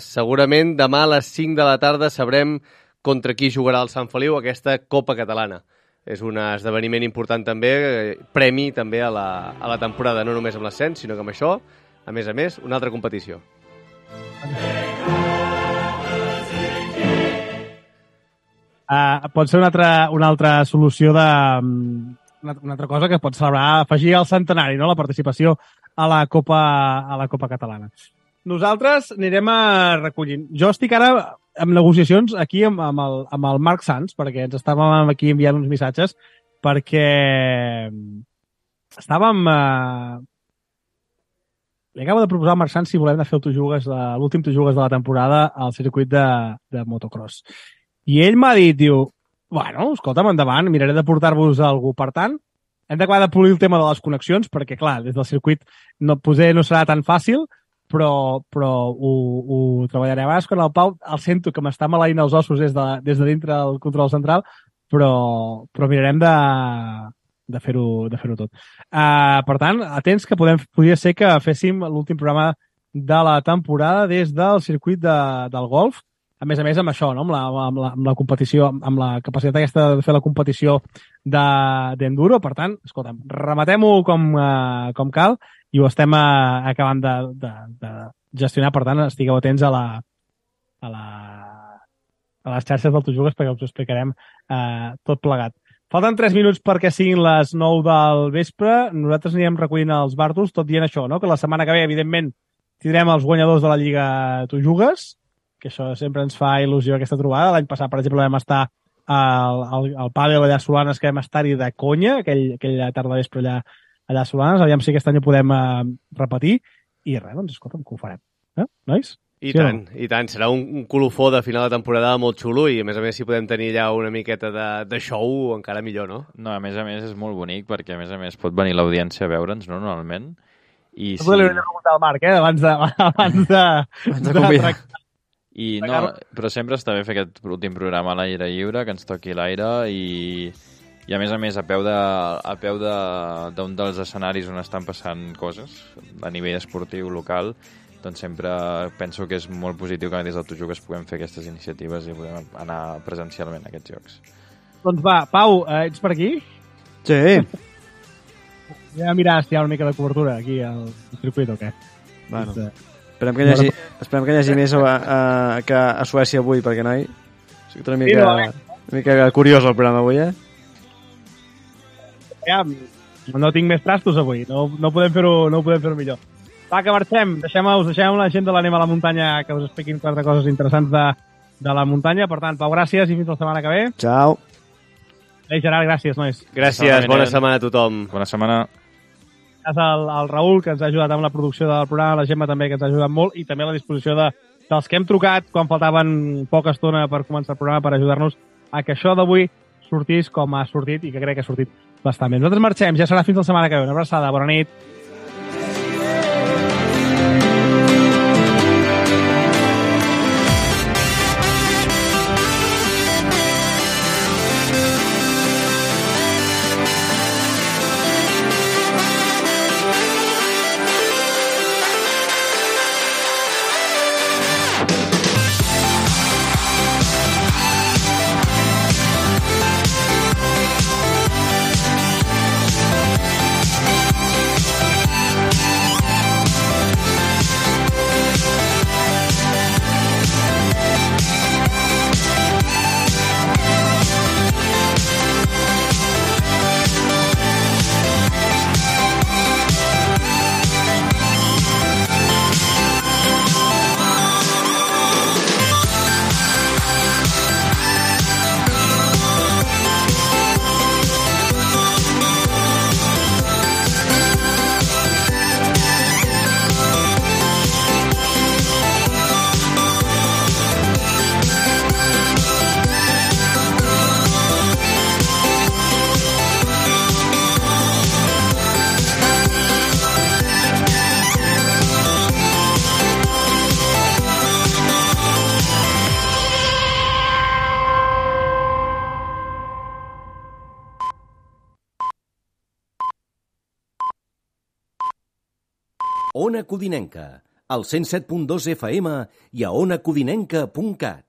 segurament demà a les 5 de la tarda sabrem contra qui jugarà el Sant Feliu aquesta Copa Catalana. És un esdeveniment important també, premi també a la temporada, no només amb l'ascens, sinó que amb això, a més, una altra competició. Pot ser una altra solució una altra cosa que pot celebrar, afegir al centenari, no? La participació a la Copa Catalana. Nosaltres anirem recollint. Jo estic ara en negociacions aquí amb el Marc Sans, perquè ens estàvem aquí enviant uns missatges, perquè estàvem... Li acabo de proposar al Marc Sans si volem anar a fer l'últim Tojugues de la temporada al circuit de motocross. I ell m'ha dit, diu, bueno, escolta'm, endavant, miraré de portar-vos algú. Per tant, hem d'acabar de polir el tema de les connexions, perquè, clar, des del circuit potser no serà tan fàcil, però ho treballaré. A vegades, quan el Pau el sento que m'està maleint els ossos des de dintre del control central, però mirarem de fer-ho tot. Per tant, atents que podria ser que féssim l'últim programa de la temporada des del circuit del golf, a més amb això, no? amb la competició, amb la capacitat aquesta de fer la competició d'enduro. Per tant, escolta'm, rematem-ho com cal i ho estem acabant de gestionar. Per tant, estigueu atents a les xarxes del Tojugues perquè us ho explicarem tot plegat. Falten 3 minuts perquè siguin les 9 del vespre. Nosaltres anirem recollint els bàrtols, tot dient això, no? Que la setmana que ve, evidentment, tindrem els guanyadors de la Lliga Tojugues, que això sempre ens fa il·lusió aquesta trobada. L'any passat, per exemple, vam estar al pàdel allà a Solanes, que vam estar-hi de conya, aquella tarda vespre allà a Solanes. Aviam si aquest any ho podem repetir. I res, doncs, escolta'm, que ho farem. Nois? I tant. Serà un colofó de final de temporada molt xulo i, a més, si podem tenir allà una miqueta de show, encara millor, no? No, a més, és molt bonic perquè, a més, pot venir l'audiència a veure'ns, no?, normalment. I no podria preguntar al Marc, abans de però sempre està bé fer aquest últim programa a l'aire lliure, que ens toqui l'aire i a més, a peu d'un dels escenaris on estan passant coses a nivell esportiu local, doncs sempre penso que és molt positiu que des del Tojugues puguem fer aquestes iniciatives i podem anar presencialment a aquests jocs. Doncs va, Pau, ets per aquí? Sí. Anem a mirar si hi ha una mica de cobertura aquí al circuit o què? Bueno, esperem que hi hagi més que a Suècia avui, perquè, noi, és una mica curiós el programa avui, Ja, no tinc més trastos avui, no podem fer-ho millor. Va, que marxem, deixem la gent de l'Anem a la muntanya que us expliquin 4 coses interessants de la muntanya. Per tant, Pau, gràcies i fins la setmana que ve. Ciao. Gerard, gràcies, nois. Gràcies, bona setmana a tothom. Bona setmana. Gràcies al Raül, que ens ha ajudat amb la producció del programa, la Gemma també, que ens ha ajudat molt, i també a la disposició dels que hem trucat quan faltaven poca estona per començar el programa per ajudar-nos a que això d'avui sortís com ha sortit i que crec que ha sortit bastant bé. Nosaltres marxem, ja serà fins la setmana que ve. Una abraçada, bona nit. Ona Codinenca, al 107.2 FM i a onacodinenca.cat.